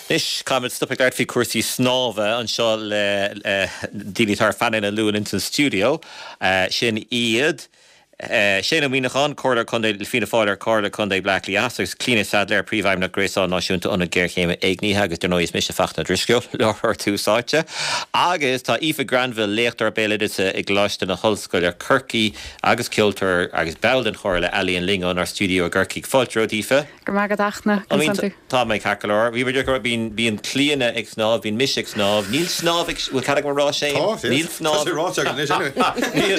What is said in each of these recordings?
Anois, caithfimid stop ag labhairt faoi chúrsaí snámha anseo le daoine atá ar phainéal an Luain ins an stiúideo. Sin iad Shane Ó Muíneacháin, Comhairleoir Contae le Fianna Fáil ar Chomhairle Contae Bhaile Átha Cliath Theas agus Clíona Saidléar, Príomhfheidhmeannach Gréasán Náisiúnta Ionad Géarchéime Éignithe agus dar ndóigh is mise Fachtna Ó Drisceoil, láithreoir Tús Áite. Agus tá Aoife Granville, léachtóir béaloideasa i gColáiste na hOllscoile Corcaigh agus ceoltóir agus ball den Chomhairle Ealaíon linn ónár stiúideo i gCorcaigh. Fáilte romhat Aoife. Go raibh maith agat a Fhachtna, conas tánn tú? Tá mé ceart go leor. Bhí muid ag rá, bíonn, bíonn Clíona ag snámh, bíonn mise ag snámh. Níl snámh ag, bhfuil cead agam a rá Shane? Tá, yes. Níl Tá snámh. sé ráite agat anois anyway. Níl,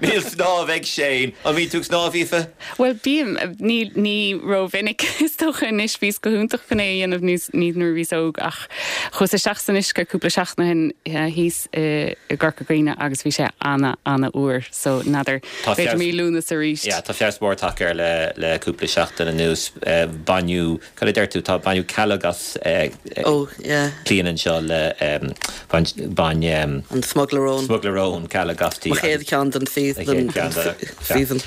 níl snámh ag Shane. An mbíonn tú ag snámh, Aoife? Bhuel, bím, ní, ní rómhinic is dócha anois, bhíos go hiontach chun é a dhéanamh níos, ní nuair a bhíos óg ach chuas isteach san uisce cúpla seachtain ó shin thíos i gCorca Dhuibhne agus bhí sé ana, ana fhuar so n'fheadar. Tá B'fhéidir feabhas, mí Lúnasa arís. yeah, tá feabhas mór tagtha air le, le cúpla seachtain anuas. Baineadh, cad a deir tú, tá, baineadh cealg as Oh, yeah. Clíona anseo le, bain, bain, An smugairle róin. smugairle róin, cealg asti Mo chéad agus cheann den a chéad cheann de, season.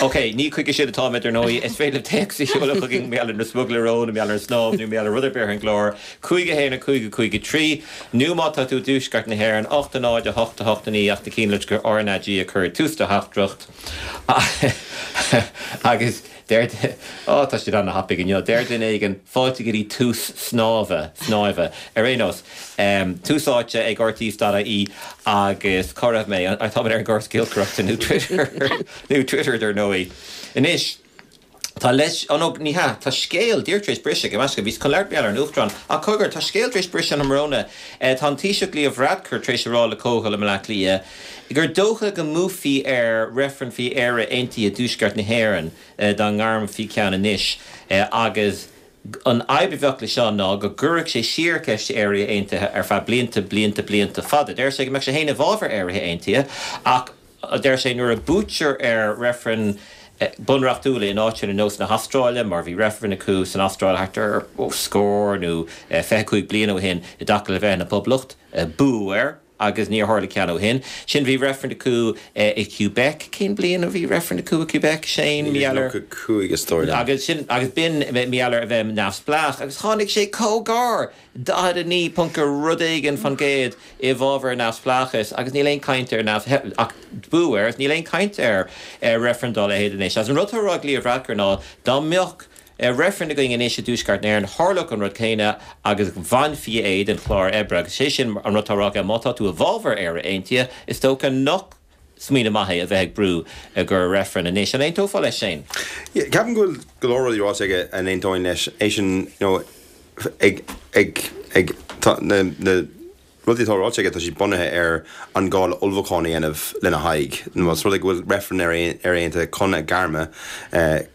Ok, ní chuige sin atáimid ar ndóigh. Is féidir libh téacs a sheoladh chugainn mar gheall ar na smugairle róin, mar gheall ar an snámh nó mar gheall ar rud ar bith ar an gclár. 5 1 5 5 3, nó má tá tú i dtuaisceart na hÉireann, 8 0 8 8 9 ach déan cinnte gur RnaG a chur ag tús do theachtaireacht. Agus deir, á tá siad ana-thapaidh inniu, deir duine éigin, fáilte go dtí tús snámha, snáimhe. Ar aon nós, tús áite ag rte.ie agus cá raibh mé? Táimid ar an gcóras giolcaireachta nó Twitter, nó Twitter dar ndóigh. Anois. Tá leis, ó no, ní hea, tá scéal díreach tar éis briseadh, gabh mo leithscéal, bhíos chun labhairt mar gheall ar an Uachtarán, ach cogar, tá scéal tar éis briseadh an tráthnóna, tá an Taoiseach Leo Varadkar tar éis a rá le Comhdháil i mBleá Cliath gur dócha go mbuafaí ar reifreann faoi Éire Aontaithe i dTuaisceart na hÉireann dá ngairmfí ceann anois agus an fhadhb a bheadh le seo ná go gcuirfeadh sé siar ceist Éire Aontaithe ar feadh blianta, blianta, blianta fada. Deir sé go mbeadh sé féin i bhfabhar Éire Aontaithe ach. Deir sé nuair a buaitear ar reifrinn bunreachtúla in áiteanna ar nós na hAstráile, mar bhí reifreann acu san Astráil thart ar scór nó 25 bliain ó shin i dtaca le bheith ina poblacht, buadh air agus níor tharla ceann ó shin. Sin bhí reifreann acu i Quebec, cén bliain a bhí reifreann acu i Quebec, Shane? Mar gheall ar. 1995 is dóigh liom. Agus sin, agus b'in mar gheall ar a bheith neamhspleách agus tháinig sé chomh gar! 49 ponc rud éigin fan gcéad i bhfabhar neamhspleáchais agus níl aon caint ar neamh ach buadh air agus níl aon caint ar reifreann dá leithéid anois. Agus an rud atá á rá ag Leo Varadkar ná dá mbeadh reifreann againn anois i dTuaisceart na hÉireann tharlódh an rud céanna agus bhainfí é den chlár oibre agus sé sin an rud atá á rá aige má tá tú i bhfabhar Éire Aontaithe is dócha nach smaoineamh maith é a bheith ag brú go reifreann anois. An aontófá leis, Shane? Yeah, ceapaim go bhfuil go leor rudaí ráite aige a n-aontóinn leis. Eisean, you know, ag, ag, ag, tá na, na rudaí atá ráite aige, tá siad bunaithe ar an gá le ullmhúchán a dhéanamh lena haghaidh. Más rud é go bhfuil reifreann ar Éire Aontaithe chun a gairme,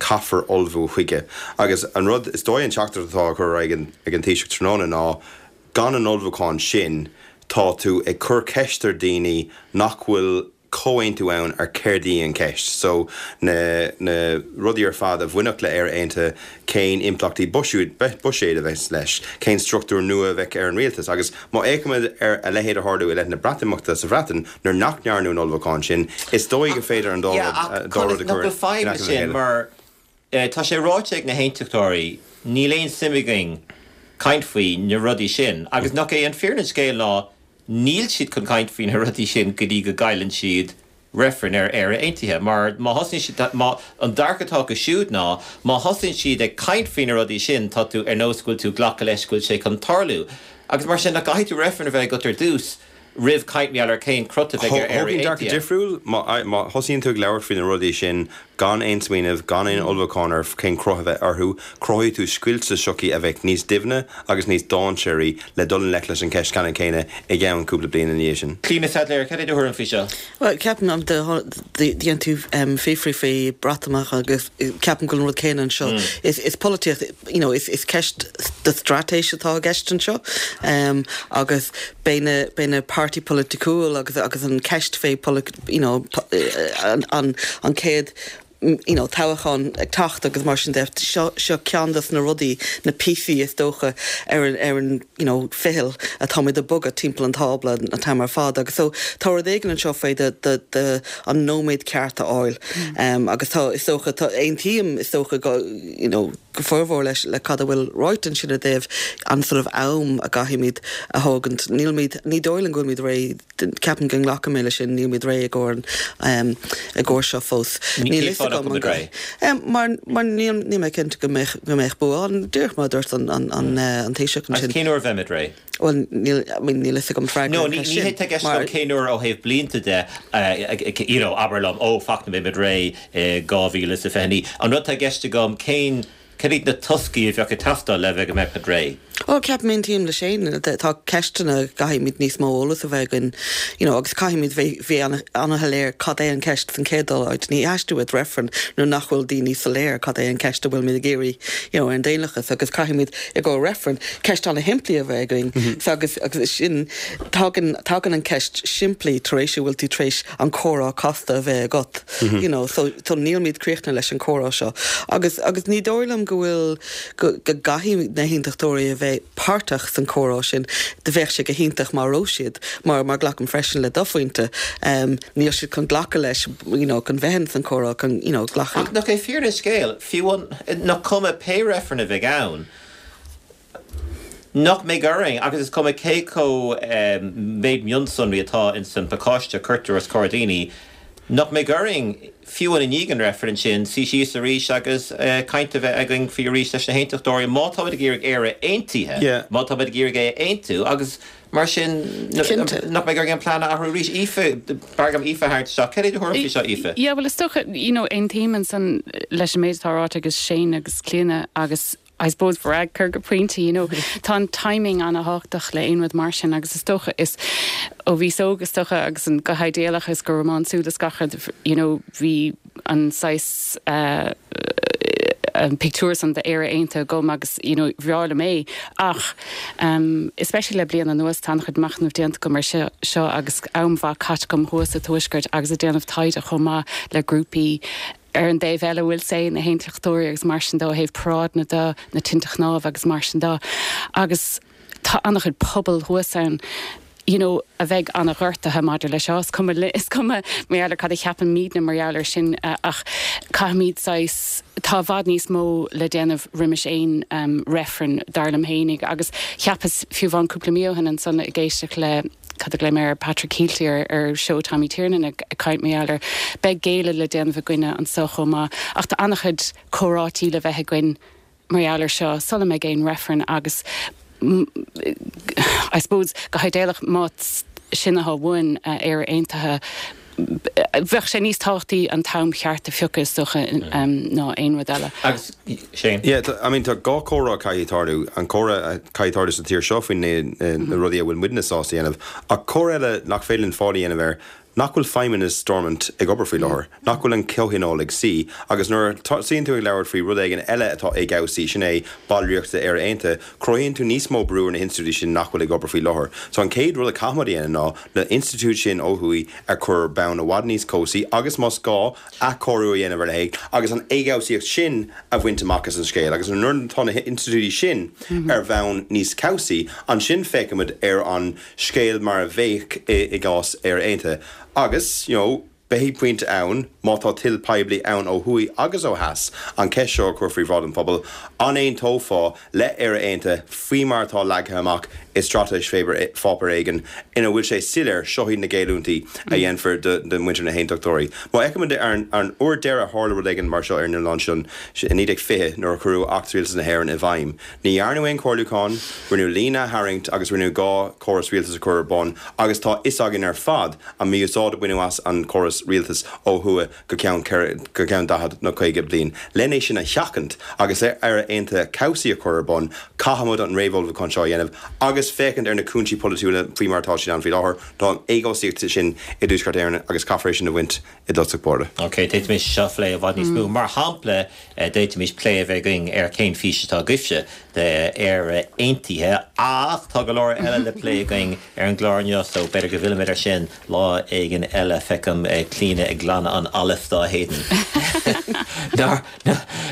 caithfear ullmhú chuige. Agus an rud, is dóigh an teachtaireacht atá á cur ar aghaidh ag an Taoiseach tráthnóna ná, Gan an ullmhúchán sin, tá tú ag cur ceist ar daoine nach bhfuil comhaontú ann ar céard í an cheist. So, na na rudaí ar fad a bhainfeadh le Éire Aontaithe, cén impleachtaí buiséid a bheas leis, cén struchtúr nua a bheadh ar an rialtas. Agus má fhéachaimid ar a leithéid a tharlú i leith na Breatimeachta sa Bhreatain, nuair nach ndearnadh an ullmhúchán sin, is dóigh gur féidir an dá Yeah, rud ach a chur nach bhfuil in fadhb aice leis le sin chéile. mar Tá sé ráite ag na hAontachtóirí, níl aon suim againn caint faoi na rudaí sin agus nach é an fírinne an scéil ná níl siad chun caint faoi na rudaí sin go dtí go gcailleann siad reifreann ar Éire Aontaithe mar má thosaíonn siad, má, an dearcadh atá acu siúd ná má thosaíonn siad ag caint faoi na rudaí sin tá tú ar nós go bhfuil tú ag glacadh leis go bhfuil sé chun tarlú agus mar sin nach gcaithfidh tú reifreann a bheith agat ar dtús roimh caint mar gheall ar cén crot a bheidh ar Éire Thógfainn dearcadh Aontaithe. difriúil. Má thosaíonn tú ag labhairt faoi na rudaí sin gan aon smaoineamh, gan aon ullmhúchán ar cén cruth a bheidh orthu, cruthóidh tú scoilt sa tsochaí a bheidh níos doimhne agus níos dainséaraí le dul i ngleic leis an cheist ceannann céanna i gceann cúpla bliain ina dhiaidh sin. Clíona Saidléar, cad é do thuairim faoi seo? Bhuel, ceapaim, dhéan tú fiafraí faoi Breatimeacht agus ceapaim go bhfuil an rud céanna anseo. Is polaitíocht, you know, is ceist de straitéis atá i gceist anseo agus beidh na, beidh na páirtí polaiticiúil agus, agus an ceist fé you know, an, an chéad. you know, toghchán ag teacht agus mar sin de, seo, seo ceann dos na rudaí, na píosaí is dócha ar an, ar an, you know, ficheall atáimid ag bogadh timpeall an tábla an t-am ar fad agus so tá rud éigin anseo faoi do, do, do an nóiméad ceart a fháil agus tá, is dócha, tá, aontaím is dócha go, you know, go formhór leis, le cad a bhfuil ráite ansin i dtaobh an sort of am a gcaithfimid a thógaint. Nílimid, ní dóigh liom go bhfuilimid réidh Ceapaim go nglacfaidh mé leis sin, nílimid réidh i gcomhair an, i gcomhair seo fós. Níl fhios agam an réidh? Mar, mar níl, níl mé cinnte go mbeadh, go mbeadh bua ann, díreach mar a dúirt an, an, an, an Taoiseach ansin. Agus cén uair a bheimid réidh? Bhuel, níl, I mean, níl fhios agam freagra ar an cheist sin. No, ní hé tá i gceist agam cén uair ó thaobh blianta de, you know, abair liom, ó, fuck, beimid réidh i 2029. An rud atá i gceist agam, cén, Cad iad na toscaí a bheadh ag teastáil le bheith go mbeadh muid réidh? Bhuel, ceapaim, aontaím le Shane, tá ceisteanna a gcaithfimid níos mó eolas a bheith againn, you know, agus caithfimid bheith bheith an-shoiléir cad é an ceist san chéad dul áit. Ní theastaíonn uait reifreann nuair nach bhfuil daoine soiléir cad é an ceist a bhfuilimid ag iarraidh, you know, ar an daonlathas agus caithfimid i gcomhair reifreann ceist an-shimplí a bheith againn. So agus agus sin tagann tagann an ceist simplí tar éis a bhfuil tú tar éis an comhrá casta a bheith agat. You know, so, so nílimid críochnaithe leis an comhrá seo. Agus, agus ní dóigh liom go bhfuil, go, go gcaithfidh na hAontachtóirí a bheith páirteach san comhrá sin. Do bheadh sé go hiontach má raibh siad, mar, mar glacaim freisin le do phointe, um, níl siad chun glacadh leis, you know, chun bheith in san comhrá, chun, you know, glacadh. Ach nach é fírinne an scéil, fiú an, nach cuma pé reifreann a bheidh ann, Nach mbeidh orainn, agus is cuma cé chomh méid mionsonraí atá ins an pacáiste a cuirtear os comhair daoine, nach mbeidh orainn, fiú i ndiaidh an reifrinn sin, suí síos arís agus caint a bheith againn faoi arís leis na hAontachtóirí, má táimid ag iarraidh Éire aontaithe, má táimid ag iarraidh é a aontú, agus mar sin, nach mbeidh orainn an plean a athrú arís. Aoife, b'fhearr dom Aoife a tharraingt isteach. Cad é do thuairim faoi seo, Aoife? Yeah, bhuel, is dócha, you know, aontaím ansan leis an méid atá ráite ag Shane agus Clíona agus, I suppose Varadkar go pointe, you know. Tá an timing an-thábhachtach le aon rud mar sin agus is dócha is ó bhíos óg is dócha agus an go hidéalach is go rómánsúil is gach rud, you know, bhí an saghas eh, an pictiúr san d'Éire Aontaithe agam agus, you know, bhreá liom é. Ach, um, especially le bliain anuas tá an-chuid machnaimh déanta agam ar seo, seo agus am mhaith caite agam thuas sa Tuaisceart agus ag déanamh taighde chomh maith le grúpaí ar an dtaobh eile, we'll say, na hAontachtóirí agus mar sin de ó thaobh paráideanna de, na tinte chnámh agus mar sin de. Agus tá an-chuid pobal thuas ann, you know, a bheidh an-ghortaithe maidir le seo. Is cuma, is cuma mar gheall ar cad a cheapaimidne mar gheall air sin ach caithfimid saghas, tá i bhfad níos mó le déanamh roimis aon reifreann, dar liom fhéinig. Agus cheapas fiú amháin cúpla mí ó shin ansan ag éisteacht le, cad a ghlaoigh mé air, Patrick Kielty ar ar seó Tommy Tiernan ag caint mar gheall air. Beidh géilleadh le déanamh againne anso chomh maith ach tá an-chuid comhráití le bheith againn mar gheall air seo sula mbeidh aon reifreann agus I suppose go hidéalach má sin atá uainn, Éire Aontaithe, Bheadh sé níos tábhachtaí an t-am cheart a phiocadh is dócha ná aon rud eile. Agus Shane? Yeah, I mean tá dhá chomhrá a chaithfidh tarlú, an comhrá a chaithfidh tarlú sa tír seo faoi na rudaí a bhfuil muidne sásta a dhéanamh, ach comhrá eile nach féidir linn fáil a dhéanamh air, nach bhfuil feidhmeannas Stormont ag obair faoi láthair, nach bhfuil an comhthionól ag suí, agus nuair a tosaíonn tú ag labhairt faoi rud éigin eile atá éagobhsaí, sin é ballraíocht d'Éire Aontaithe, cruthaíonn tú níos mó brú ar na hinstitiúidí sin nach bhfuil ag obair faoi láthair. So an chéad rud a chaithfimid a dhéanamh ná na institiúidí sin ó thuaidh a chur ar bonn i bhfad níos cobhsaí agus, más gá, athchóiriú a dhéanamh ar a leithéid agus an éagobhsaíocht sin a bhaint amach as an scéal. Agus nuair atá na hinstitiúidí sin ar bhonn níos cobhsaí, ansin féachfaimid ar an scéal mar a bheadh i gcás Éire Aontaithe. Agus, you know, beidh pointe ann, má tá toil poiblí ann ó thuaidh agus ó theas, an cheist seo a chur faoi bhráid an phobail, an aontófá le Éire Aontaithe faoi mar atá leagtha amach i straitéis pháipéar éigin ina bhfuil sé soiléir, seo iad na géilliúintí a dhéanfar do mhuintir na hAontachtóirí. Má fheicimid ar an uair deireadh a tharla rud éigin mar seo ar an oileán seo i 1920 nuair a cuireadh Acht Rialtas na hÉireann i bhfeidhm, ní dhearnadh aon chomhairliúchán, rinneadh líne a tharraingt agus rinneadh 2 chóras rialtais a chur ar bun agus tá fhios againn ar fad an mí-úsáid a baineadh as an chóras rialtais ó thuaidh go ceann go ceann 40 nó 50 bliain. Len é sin a sheachaint agus le Éire Aontaithe cobhsaí a chur ar bun, caithfimid an réamhullmhúchán seo a dhéanamh agus féachaint ar na cúinsí polaitiúla faoi mar atá siad ann faoi láthair. Tá an éagobhsaíocht sin i dTuaisceart Éireann agus caithfear é sin a bhaint i dtosach báire. Ok, d'fhéadfaimis seo a phlé i bhfad níos mó. Mar shampla, d'fhéadfaimis plé a bheith againn ar cén fís atá agaibhse d'Éire Aontaithe ach tá go leor eile le plé againn ar an gclár inniu so b'fhéidir go bhfillfimid air sin lá éigin eile. Feicim Clíona ag glanadh an allais dá héadan. Nár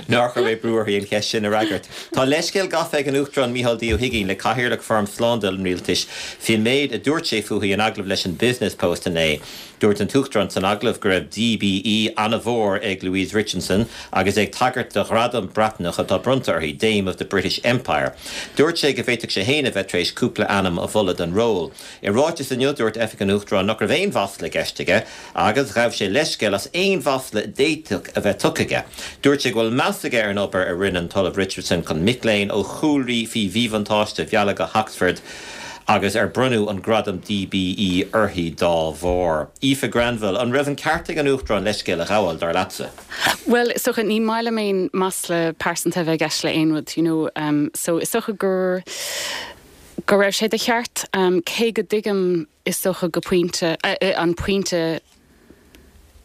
nár chuir mé brú uirthi an cheist sin a fhreagairt. Tá leithscéal gafa ag an Uachtarán Micheál D Ó hUigínn le Cathaoirleach Fóram Slándála an Rialtais faoin méid a dúirt sé fúithi in agallamh leis an Business Post inné. Dúirt an tUachtarán san agallamh go raibh DBE an-mhór ag Louise Richardson agus é ag tagairt do ghradam Breatnach atá bronnta uirthi, Dame of the British Empire. Dúirt sé go bhféadfadh sé féin a bheith tar éis cúpla ainm a mholadh don ról. I ráiteas inniu, dúirt Oifig an Uachtaráin nach raibh aon mhasla i gceist aige agus ghabh sé leithscéal as aon mhasla a d'fhéadfadh a bheith tugtha aige. Dúirt sé go bhfuil meas aige ar an obair a rinne an tOllamh Richardson chun mic léinn ó chúlraí faoi mhíbhuntáiste a mhealladh go hOxford agus ar bronnadh an gradam DBE uirthi dá bharr. Aoife Granville, an raibh an ceart ag an Uachtarán leithscéal a ghabháil, dar leatsa? Bhuel, is dócha, ní maith liom aon masla pearsanta a bheith i gceist le aon rud, you know, so is dócha gur, go raibh sé de cheart, cé go dtuigim, is dócha, go pointe, an pointe,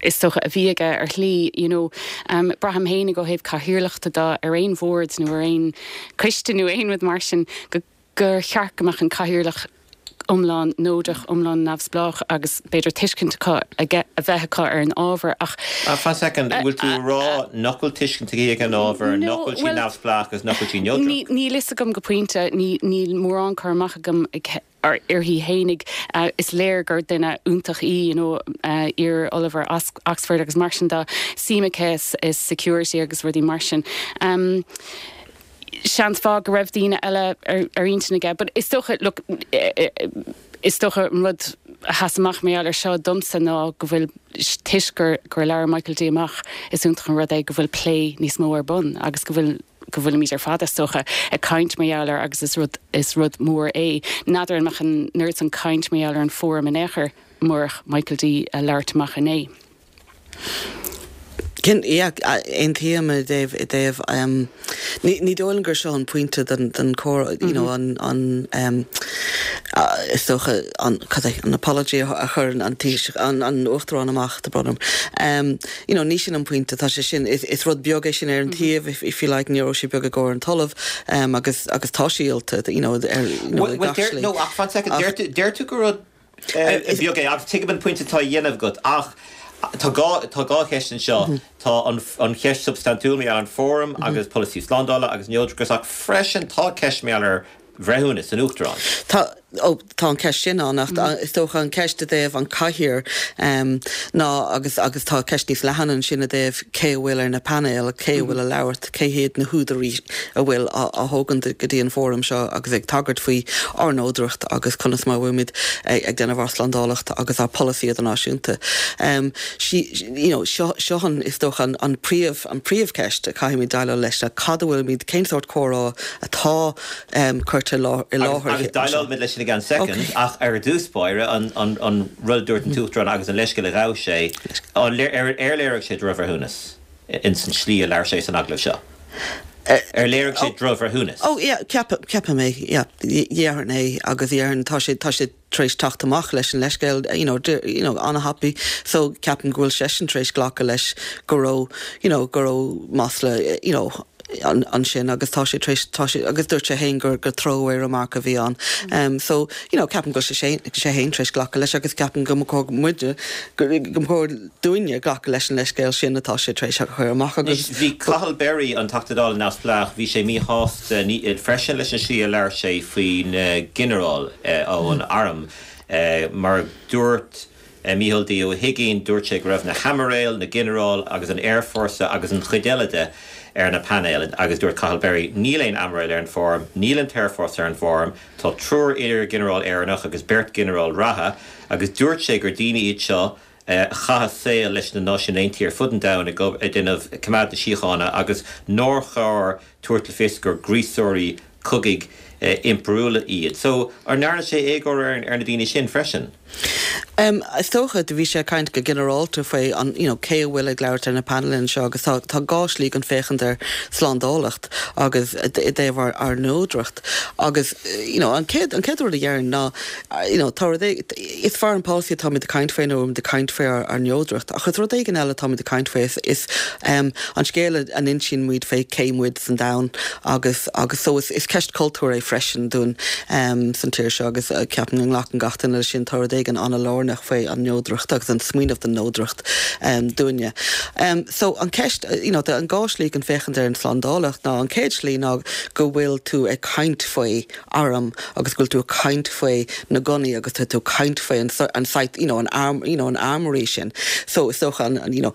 is dócha, a bhí aige ar shlí, you know. Braithim féinig ó thaobh cathaoirleachta de ar aon bhord nó ar aon choiste nó aon rud mar sin go, gur cheart go mbeadh an cathaoirleach iomlán neodrach, iomlán neamhspleách agus b'fhéidir tuiscint acu, aige, a bheith acu ar an ábhar ach. Fan soicind, an bhfuil tú ag rá nach bhfuil tuiscint aici ar an ábhar, nach bhfuil sí neamhspleách agus nach bhfuil sí neodrach? Níl fhios agam go pointe, níl mórán cur amach agam uirthi fhéinig. Is léir gur duine iontach í, you know, iar-ollamh ar Oxford agus mar sin de, suim aici i security agus rudaí mar sin. Seans mhaith go raibh daoine eile ar intinn aige but is dócha, look, is dócha an rud a sheas amach mar gheall ar seo domsa ná go bhfuil, toisc gur, gur labhair Michael D amach, is iontach an rud é go bhfuil plé níos mó ar bun agus go bhfuil, go bhfuilimid ar fad, is dócha, ag caint mar gheall air agus is rud, is rud mór é. N'fheadar an mbeadh an oiread san caint mar gheall ar an bhfóram in aon chor murach Michael D a labhairt amach inné. Yeah, aontaím i dtaobh, i dtaobh, ní, ní dóigh liom gur seo an pointe den, den chomhrá, you know, an, an, is dócha, an, cad é, an apology a chuir an Taoiseach, an, an Uachtarán amach, tá brón orm. You know, ní sin an pointe, tá sé sin, is, is rud beag é sin ar an taobh, if, if you like, ní raibh sé beag i gcomhair an tOllamh, agus, agus tá sí oilte, you know, ar, you know, i gach slí. No, ach fan soicind, deir tú, deir tú gur rud, beag é agus tuigim an pointe atá á dhéanamh agat ach tá dhá, tá dhá cheist anseo. Tá an, an cheist substaintiúil mar gheall ar an bhfóram agus polasaí slándála agus neodrachas ach freisin tá ceist mar gheall ar bhreithiúnas an Uachtaráin. Tá, ó, tá an ceist sin ann ach is dócha an ceist i dtaobh an cathaoir ná agus, agus tá ceist níos leathan ansin i dtaobh cé a bhfuil ar na painéil, cé a bhfuil ag labhairt, cé hiad na húdair a bhfuil á thógaint go dtí an fóram seo agus ag tagairt faoi ár neodracht agus conas mar a bhfuilimid ag déanamh ár slándálacht agus ár polasaí idirnáisiúnta. You know, seo, seo an, is dócha, an, an príomh, an príomhcheist a caithfimid déileáil leis ná cad a bhfuilimid, cén sórt comhrá atá curtha i láthair. Agus déileálfaimid leis sin i gceann soicind ach ar dtús báire, an, an, an rud a dúirt an tUachtarán agus an leithscéal a ghabh sé, an, ar, ar léirigh sé drochbhreithiúnas? ins an slí a labhair sé san agallamh seo. Ar léirigh sé drochbhreithiúnas? Oh yeah, ceapaim, ceapaim é, yeah. Dhéarfainn é agus dhéarfainn tá sé, tá sé tar éis teacht amach leis an leithscéal, you know, you know, an-thapaidh so ceapaim go bhfuil seisean tar éis glacadh leis go raibh, you know, go raibh masla, you know, ansin agus tá sé tar éis, tá sé, agus dúirt sé féin gur, gur throwaway remark a bhí ann. Um, so, you know, ceapaim go bhfuil sé, sé féin tar éis glacadh leis agus ceapaim go mba chóir muide, go, go mba chóir dúinne glacadh leis an leithscéal sin atá sé tar éis a chur amach agus. Anois, bhí Cathal Berry, an Teachta Dála neamhspleách, bhí sé míshásta freisin leis an slí a labhair sé faoi na ginearáil ón arm. Mar dúirt Micheál D. Ó hUigínn, dúirt sé go raibh na haimiréil, na ginearáil agus an aerfhórsa agus an chuid eile de ar na painéil agus dúirt Cathal Berry, níl aon aimiréil ar an bhfóram, níl an t-aerfhórsa ar an bhfóram, tá triúr iar-ghinearál Éireannach agus beirt ghinearál reatha agus dúirt sé gur daoine iad seo a chaith a saol leis na Náisiúin Aontaithe ar fud an domhain ag déanamh coimeád na síochána agus nár chóir tabhairt le fios gur gríosóirí cogaidh impiriúla iad. So, an ndearna sé éagóir ar na daoine sin freisin? Is dócha, do bhí sé ag caint go ginearálta faoi an, you know, cé a bhfuil ag labhairt ar na painéil anseo agus tá, tá dhá shlí chun féachaint ar slándálacht agus i dtaobh ár, ár neodracht agus, you know, an chéad, an chéad rud a dhéarfainn ná, you know, tá rud é, is foreign policy atáimid ag caint faoi nuair atáimid ag caint faoi ár neodracht ach is rud éigin eile atáimid ag caint faoi, is, is um, an scéal a n-insíonn muid fé cé muid san domhan agus, agus so is, is ceist cultúir é freisin dúinn um, san tír seo agus uh, ceapaim go nglacann gach duine leis sin tá rud éigin an-lárnach. muiníneach faoi an neodracht agus an smaoineamh den neodracht dúinne. So an ceist, you know, an dá shlí chun féachaint ar an slándálacht ná an chéad slí ná go bhfuil tú ag caint faoi arm agus go bhfuil tú ag caint faoi na gunnaí agus tá tú ag caint faoi an an site, you know, an arm, you know, an armory sin. So is dócha an, an, you know,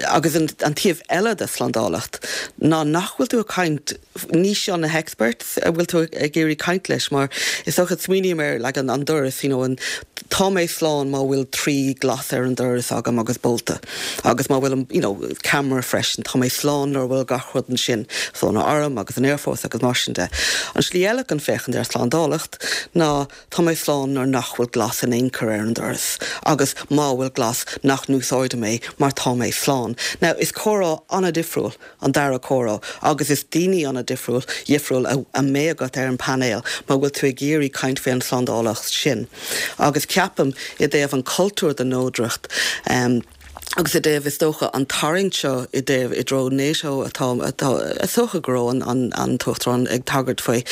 agus an, an taobh eile de slándálacht ná nach bhfuil tú ag caint, ní seo na hexperts a bhfuil tú ag iarraidh caint leis mar is dócha smaoiním ar like an, an doras, you know, an, tá mé slán má bhfuil 3 glas ar an doras agam agus bolta agus má bhfuil an, you know, camera freisin, tá mé slán nuair a bhfuil gach rud ansin, so an arm agus an aerfhórsa agus mar sin de. An slí eile chun féachaint ar slándálacht ná tá mé slán nuair nach bhfuil glas in aon chor ar an doras agus má bhfuil glas nach n-úsáidim é mar tá mé slán. Now is comhrá an-difriúil an dara comhrá agus is daoine an-difriúil dhifriúil a a mbeidh agat ar an painéal má bhfuil tú ag iarraidh caint faoi an tslándálacht sin. Agus ceapaim i dtaobh an cultúr den neodracht agus i dtaobh is dócha an tarraingt seo i dtaobh i dtreo NATO atá atá is dócha go raibh an an an tUachtarán ag tagairt faoi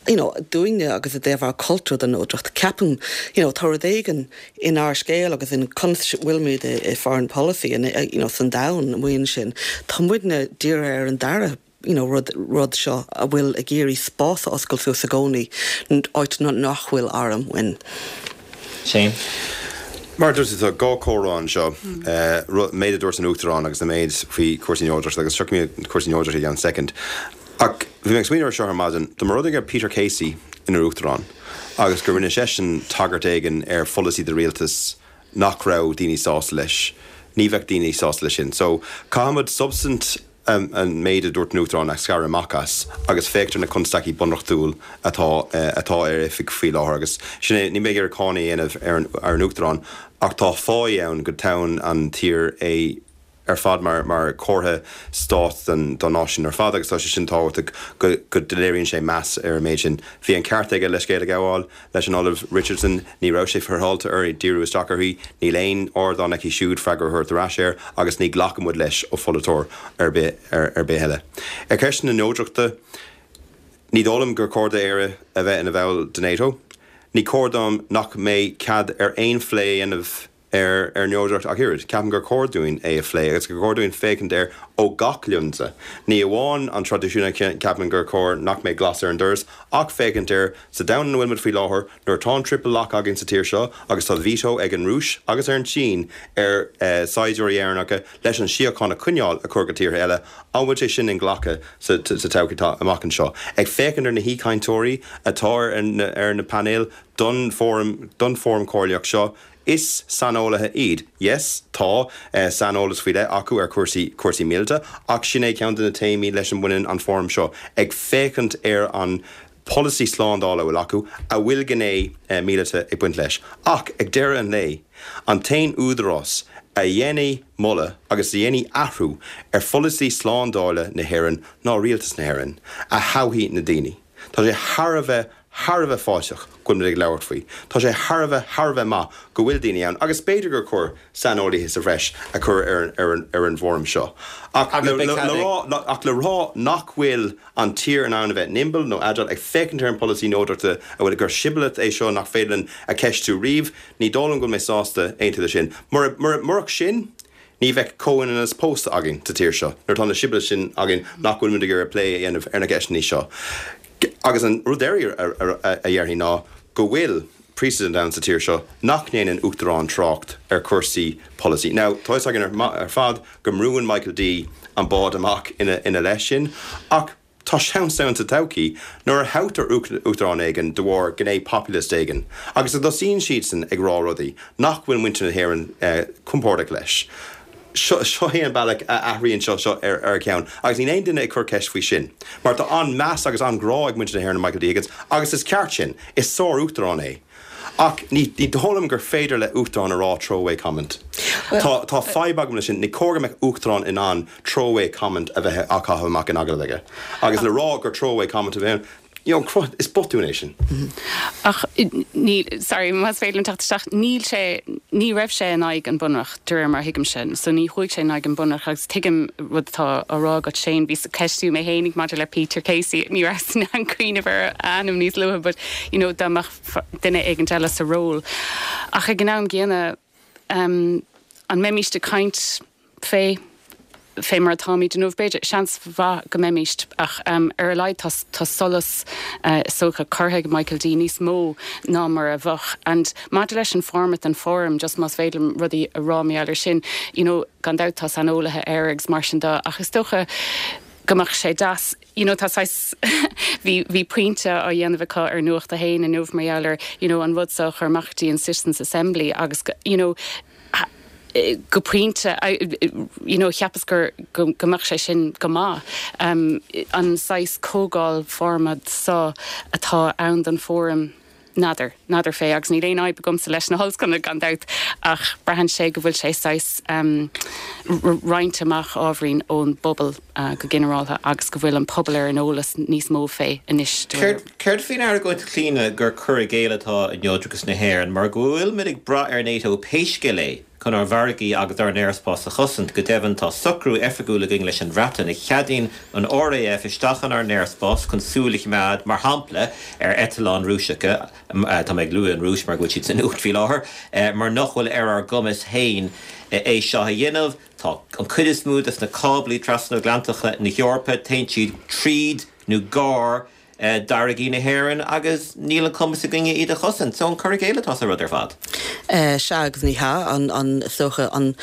you know dúinne agus i dtaobh ár cultúr den neodracht ceapaim you know tá rud éigin inár scéal agus in conas bhfuilimid i foreign policy in you know san domhan amuigh ansin, tá muidne dírithe ar an dara you know rud rud seo a bhfuil ag iarraidh spás a oscailt suas i gcónaí, áit nach bhfuil arm uainn. Shane. Mar a dúirt tú, tá dhá chomhrá anseo, an méid a dúirt an Uachtarán agus an méid faoi chúrsaí neodrachta agus tiocfaidh mé cúrsaí neodrachta i gceann soicind. Ach bhí mé ag smaoineamh ar seo ar maidin, dá mba rud é go raibh Peter Casey ina Uachtarán agus go rinne seisean tagairt éigin ar pholasaí de rialtas nach raibh daoine sásta leis, ní bheadh daoine sásta leis sin. So, caithfimid substaint an méid a dúirt an Uachtarán a scaradh amach as agus féachaint ar na constaicí bunreachtúil atá atá ar oifig faoi láthair agus sin é, níl mé ag iarraidh cáineadh a dhéanamh ar an ar an Uachtarán ach tá fáidh ann go dtoghann an tír é ar fad mar mar chomhartha stáit don don náisiún ar fad agus tá sé sin tábhachtach go go léiríonn sé meas ar an méid sin. Bhí an ceart aige leithscéal a ghabháil leis an Ollamh Richardson, ní raibh sé féaráilte uirthi díriú isteach uirthi, níl aon ardán aici siúd freagra a thabhairt ar ais air agus ní ghlacann muid leis ó pholaiteoir ar bith ar bith eile. Ar cheist na neodrachta, ní dóigh liom gur chóir d'Éire a bheith ina bhall de NATO. Ní cóir dom nach mbeidh cead ar aon phlé a dhéanamh ar ar neodracht ach oiread. Ceapaim gur chóir dúinn é a phlé agus gur chóir dúinn féachaint air ó gach lionsa. Ní amháin an traidisiún a cheapann gur chóir nach mbeidh glas ar an doras ach féachaint air sa domhan ina bhfuil muid faoi láthair nuair atá an triple lock againn sa tír seo agus tá veto ag an Rúis agus ar an tSín ar saighdiúirí Éireannacha leis an síocháin a choinneáil a chur go tíortha eile, an bhfuil sé sin inghlactha sa todhchaí atá amach anseo? Ag féachaint ar na haoichainteoirí atá ar na painéil don fóram don fóram comhairleach seo, Is saineolaithe iad. Yes, tá saineolas faoi leith acu ar chúrsaí, cúrsaí míleata, ach sin é ceann de na téamaí leis a mbaineann an fóram seo, ag féachaint ar an polasaí slándála a bhfuil acu, a bhfuil gné míleata ag baint leis. Ach ag deireadh an lae, an t-aon údarás a dhéanfaidh moladh agus a dhéanfaidh athrú ar pholasaí slándála na hÉireann ná Rialtas na hÉireann, a thoghfaidh na daoine. Tá sé thar a bheith, thar a bheith fáilteach go bhfuil muid ag labhairt faoi. Tá sé thar a bheith, thar a bheith maith go bhfuil daoine ann agus b'fhéidir gur chóir saineolaithe sa bhreis a chur ar, ar an, ar an bhfóram seo. Ach le, le, le rá, ach le rá nach bhfuil an tír in ann a bheith nimble nó agile ag féachaint ar an polasaí neodrachta a bhfuil, gur siboleth é seo nach féidir linn a cheistiú riamh, ní dóigh liom go bhfuil mé sásta aontú leis sin. Mura, mura, murach sin, Ní bheadh comhionannas pósta againn sa tír seo nuair atá na siboleths sin againn nach bhfuil muid ag iarraidh plé a dhéanamh ar na ceisteanna seo. Agus an rud deiridh a dhéarfainn ná go bhfuil precedent ann sa tír seo nach ndéanann uachtarán trácht ar chúrsaí polasaí. Now, tá fhios againn ar fad go mbrúann Michael D an bád amach ina leith sin ach, Tá seans ann sa todhchaí, nuair a thoghtar uachtarán éigin de bharr gné populist éigin, agus go dtosaíonn siadsan ag rá rudaí nach bhfuil muintir na hÉireann compordach leis. Seo é an bealach a athraíonn seo seo ar a cheann, agus níl aon duine ag cur ceist faoi sin. Mar tá an-meas agus an-ghrá ag muintir na hÉireann ar Michael D. Higgins, agus is ceart sin, is sár-uachtarán é. Ach ní dóigh liom gur féidir le uachtarán a rá throwaway comment. Tá tá fadhb agam leis sin. Ní cóir go mbeadh uachtarán in ann throwaway comment a bheith á chaitheamh amach in agallamh aige. Agus le rá gur throwaway comment a bheith ann, You know, cruth, is botún é sin. Ach níl, sorry, más féidir liom teacht isteach, níl sé, ní raibh sé in aghaidh an Bunreacht, de réir mar a thuigimse. So ní chuaigh sé in aghaidh an Bunreacht agus tuigim rud atá á rá agat Shane, bhíos ag ceistiú mé fhéinig maidir le Peter Casey, ní rabhas in ann cuimhneamh ar a ainm níos luaithe but, you know, dá mbeadh duine éigint eile sa ról. Ach ag an am gcéanna, an mbeimíst ag caint fé fé mar atáimid inniu? B'fhéidir, seans mhaith go mbeimíst, ach ar a laghad tá tá solas is dócha curtha ag Michael D níos mó ná mar a bheadh. And maidir leis an format den fóram, just más féidir liom rudaí a rá mar gheall air sin, you know, gan dabht tá saineolaithe air agus mar sin de, ach is dócha go mbeadh sé deas, you know, tá saghas, bhí, bhí pointe á dhéanamh acu ar Nuacht a hAon inniu mar gheall ar, you know, an rud seo a chur amach go dtí an Citizens Assembly agus, you know, go pointe, you know, cheapas gur, go, go mbeadh sé sin go maith. Um, an saghas comhdháil format seo atá ann don fóram, N'fheadar, n'fheadar fé, agus níl aon fhadhb agamsa leis na hollscoileanna gan dabht, ach braitheann sé go bhfuil sé saghas roinnte amach ábhairín ón bpobal go ginearálta agus go bhfuil an pobal ar an eolas níos mó fé anois de réir. Céard faoin argóint a Chlíona gur cur i gcéill atá i neodrachas na hÉireann mar go bhfuilimid ag brath ar NATO pé scéal é? chun ár bhfarraigí agus ár n-aerspás a chosaint. Go deimhin, tá socrú oifigiúil againn leis an Bhreatain a cheadaíonn an RAF isteach inár n-aerspás chun súil a choimeád, mar shampla, ar eitleáin Rúiseacha, tá mé ag lua an Rúis mar go bhfuil siad sa nuacht faoi láthair, mar nach bhfuil ar ár gcumas féin é seo a dhéanamh. Tá an chuid is mó de na cáblaí trasatlantacha na hEorpa, téann siad tríd nó gar d'fharraigí na hÉireann agus níl an cumas againne iad a chosaint. So an cur i gcéill atá sa rud ar fad? Sea agus ní hea. An, is dócha, an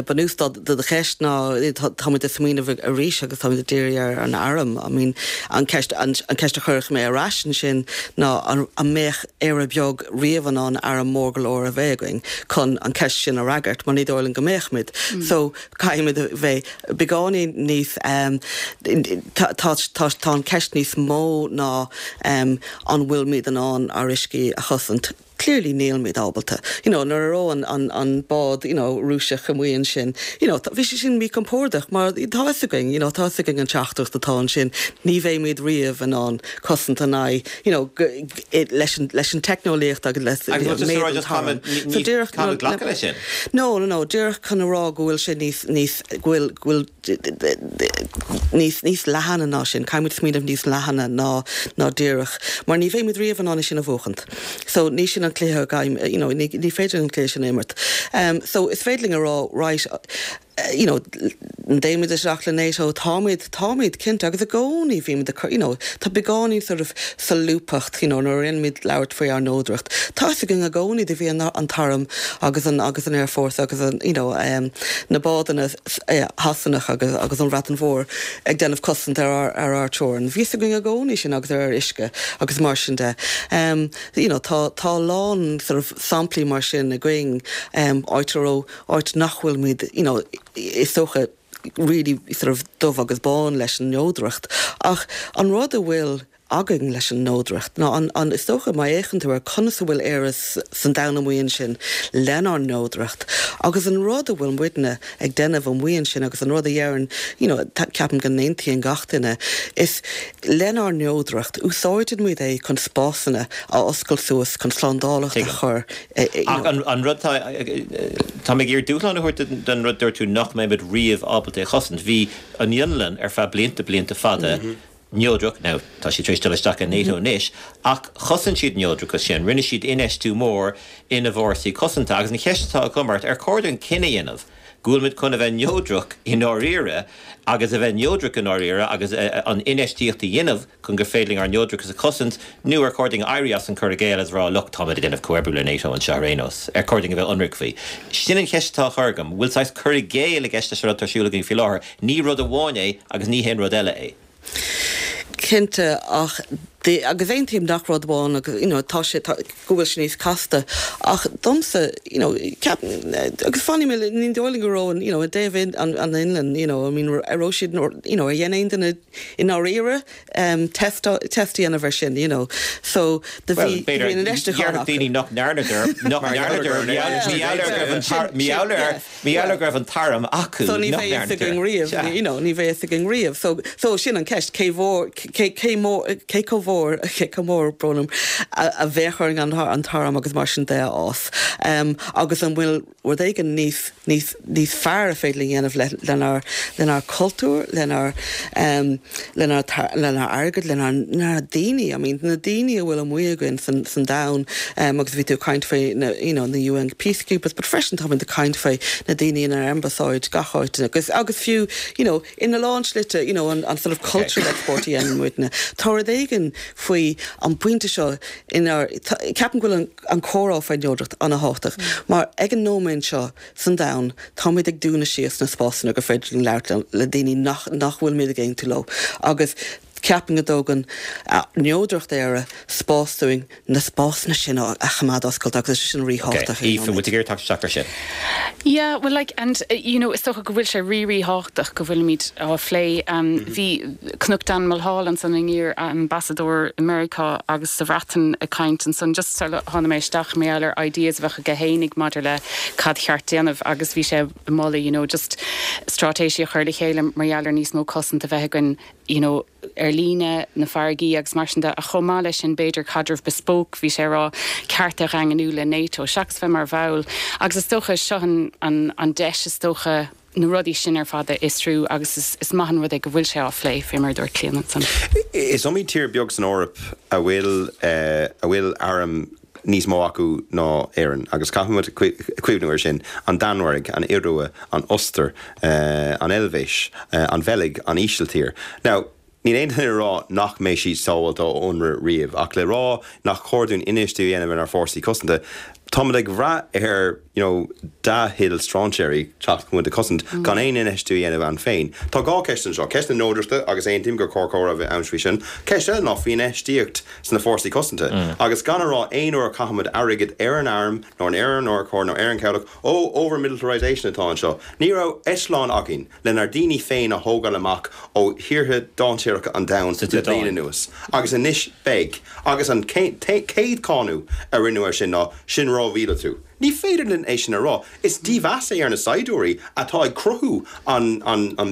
bunús do do cheist ná táimid ag smaoineamh arís agus táimid ag díriú ar an arm. I mean, an ceist, an ceist a chuirfeadh mé ar ais ansin ná an mbeadh Éire beag riamh in ann arm mór go leor a bheith againn chun an ceist sin a fhreagairt mar ní dóigh liom go mbeadh muid. So caithfimid a bheith beagáinín níos, tá, tá an ceist níos mó ná an bhfuilimid in ann ár uiscí a chosaint. Clearly nílimid ábalta. You know, nuair a raibh an, an, an bád, you know, Rúiseach amuigh ansin, you know, bhí sé sin míchompordach mar tá fhios againn, you know, tá fhios againn an teachtaireacht atá ansin, ní bheimid riamh in ann cosaint in aghaidh, you know, leis an, leis an teicneolaíocht agus le méid an t-arm. So díreach, no, glacadh leis sin? No, no, no, díreach chun a rá go bhfuil sé níos, níos, go bhfuil, go bhfuil níos, níos leathaine ná sin, caithfimid smaoineamh níos leathaine ná, ná díreach, mar ní bheimid riamh in ann é sin a bhuachaint. So ní sin an cluiche againn, you know, ní, ní féidir an cluiche sin a imirt. So is féidir linn a rá, right, you know, an dtéimid isteach le NATO, táimid, táimid, cinnte, agus i gcónaí bhímid ag cur, you know, tá beagáinín sort of solúbthacht, you know, nuair a dhéanaimid labhairt faoi ár neodracht, tá fhios againn i gcónaí do bhí an, an t-arm agus an, agus an Airforce agus an, you know, um, na bádanna Shasanach agus, agus an Bhreatain Mhór ag déanamh cosaint ar ár, ar ár teorainn. Bhí fhios againn i gcónaí sin agus ar ár uisce agus mar sin de. Um, you know, tá, tá a lán sort of samplaí mar sin againn, um, áit a raibh, áit nach bhfuilimid, you know, is dócha, really sort of dubh agus bán leis an neodracht. Ach an rud a bhfuil againn leis an neodracht ná an, an, is dócha má fhéachann tú ar conas a bhfuil Éire san domhan amuigh ansin lenár neodracht agus an rud a bhfuil muidne ag déanamh amuigh ansin agus an rud a dheireann, you know, ceapaim go n-aontaíonn gach duine, is lenár neodracht, úsáideann muid é chun spásanna a oscailt suas chun slándálacht a chur Ach an rud atá, tá mé ag iarraidh dúshlán a thabhairt don rud dúirt tú nach mbeimid riamh ábalta é a chosaint. Bhí an Fhionlainn ar feadh blianta, blianta fada neodrach, now tá siad tar éis dul isteach i NATO anois, ach chosain siad neodrachas sin, rinne siad infheistiú mór ina bhfórsaí cosanta. Agus an cheist atá agam ort, ar chóir dúinn cinneadh a dhéanamh go bhfuilimid chun a bheith neodrach i ndáiríre agus a bheith neodrach i ndáiríre agus an infheistíocht a dhéanamh chun gur féidir linn ár neodrachas a chosaint, nó ar chóir dúinn éirí as an cur i gcéill agus a rá look, táimid ag déanamh comhoibriú le NATO anseo ar aon nós, ar chóir dúinn a bheith ionraic faoi? Sin an cheist atá á chur agam. Bhfuil saghas cur i gcéill i gceist leis an rud atá ar siúl againn faoi láthair? Ní rud amháin é agus ní haon rud eile é. Cinnte, ach agus aontaím nach rud amháin agus you know tá sé tá go bhfuil sé níos casta ach domsa you know ceap agus fanfaidh mé ní dóigh liom go raibh an you know i dtaobh an an Fhionlainn you know I mean ar raibh siad you know ar dhein aon duine i ndáiríre test a dhéanamh air sin, you know. So, do bhí, bhí an infheistiúchán acu. Déarfadh daoine nach ndearnadar, nach ndearnadar, mar gheall go raibh an t-arm acu, So ní bheidh fhios againn riamh, you know, ní bheidh fhios againn riamh. So, so sin an ceist, cé mhór, cé, cé mór, cé chomh mhór. mhór, cé chomh mór, brón orm, a bheadh orainn an t-arm agus mar sin de a fhás. Agus an bhfuil rud éigin níos, níos, níos fearr a féidir linn dhéanamh le, lenár, lenár cultúr, lenár, lenár, lenár airgead, lenár, lenár daoine, I mean, na daoine a bhfuil amuigh againn san, san domhan, agus bhí tú ag caint faoi na, you know, na UN peacekeepers, but freisin táimid ag caint faoi na daoine inár ambasáid gach áit agus, agus fiú, you know, ina lán slite, you know, an, an sort of cultural export a dhéanann muidne. Tá rud éigin faoi an bpointe seo inár, ceapaim go bhfuil an, an comhrá faoin neodracht an-thábhachtach mar ag an nóiméad seo san domhan táimid ag dúnadh síos na spásanna gur féidir linn labhairt le daoine nach, nach bhfuilimid ag aontú leo agus ceapaim go dtógann neodracht Éire spás dúinn na spásanna sin a choimeád oscailte agus is é sin ríthábhachtach ag an nóiméad. Aoife, bhfuil tú ag iarraidh teacht isteach ar sin? Yeah, well like and you know is dócha go bhfuil sé rí-ríthábhachtach go bhfuilimid á phlé. Bhí chonac Dan Mulhall ansan an iar-ambasadóir i Meiriceá agus sa Bhreatain ag caint ansan just sula tháinig mé isteach mar gheall ar ideas a bheadh aige fhéinig maidir le cad cheart déanamh agus bhí sé ag moladh you know just straitéisí a chur le chéile mar gheall ar níos mó cosanta a bheith againn you know ar líne, na farraigí agus mar sin de, ach chomh maith leis sin b'fhéidir caidreamh bespoke, bhí sé ag rá, cearta a dhaingniú le NATO, seachas bheith mar bhall. Agus is dócha, seo an, an, an deis is dócha na rudaí sin ar fad a fhiosrú agus is, is maith an rud é go bhfuil sé á phlé, fé mar a dúirt Clíona ansan. Is iomaí tír beag san Eoraip a bhfuil, a bhfuil airm níos mó acu ná Éirinn, agus caithfidh muid cuimhniú air sin, an Danmhairg, an Iorua, an Ostair, an Eilvéis, an Bheilg, an Ísiltír. Now, níl aon duine ag rá nach mbeidh siad sábháilte ó ionradh riamh, ach le rá nach cóir dúinn infheistiú a dhéanamh inár bhfórsaí cosanta, táimid ag brath ar, you know, dea-thoil strainséirí teacht chun muid a chosaint, gan aon infheistiú a dhéanamh ann féin. Tá dhá cheist anseo, ceist na neodrachta, agus aontaím gur chóir comhrá a bheith ann faoi sin. Ceist eile ná faoi infheistíocht sna fórsaí cosanta. Agus gan a rá aon uair a chaithimid airgead ar an arm nó ar an urchar nó ar an chabhlach, ó, over-militarisation atá anseo. Ní raibh eitleán againn lenár ndaoine féin a thógáil amach ó thíortha dainséaracha an domhain le bliain anuas. Agus anois beidh. Agus an chéad cháineadh a rinneadh air sin ná, sin rómhíleatú. Ní féidir linn é sin a rá. Is dímheas é ar na saighdiúirí atá ag cruthú an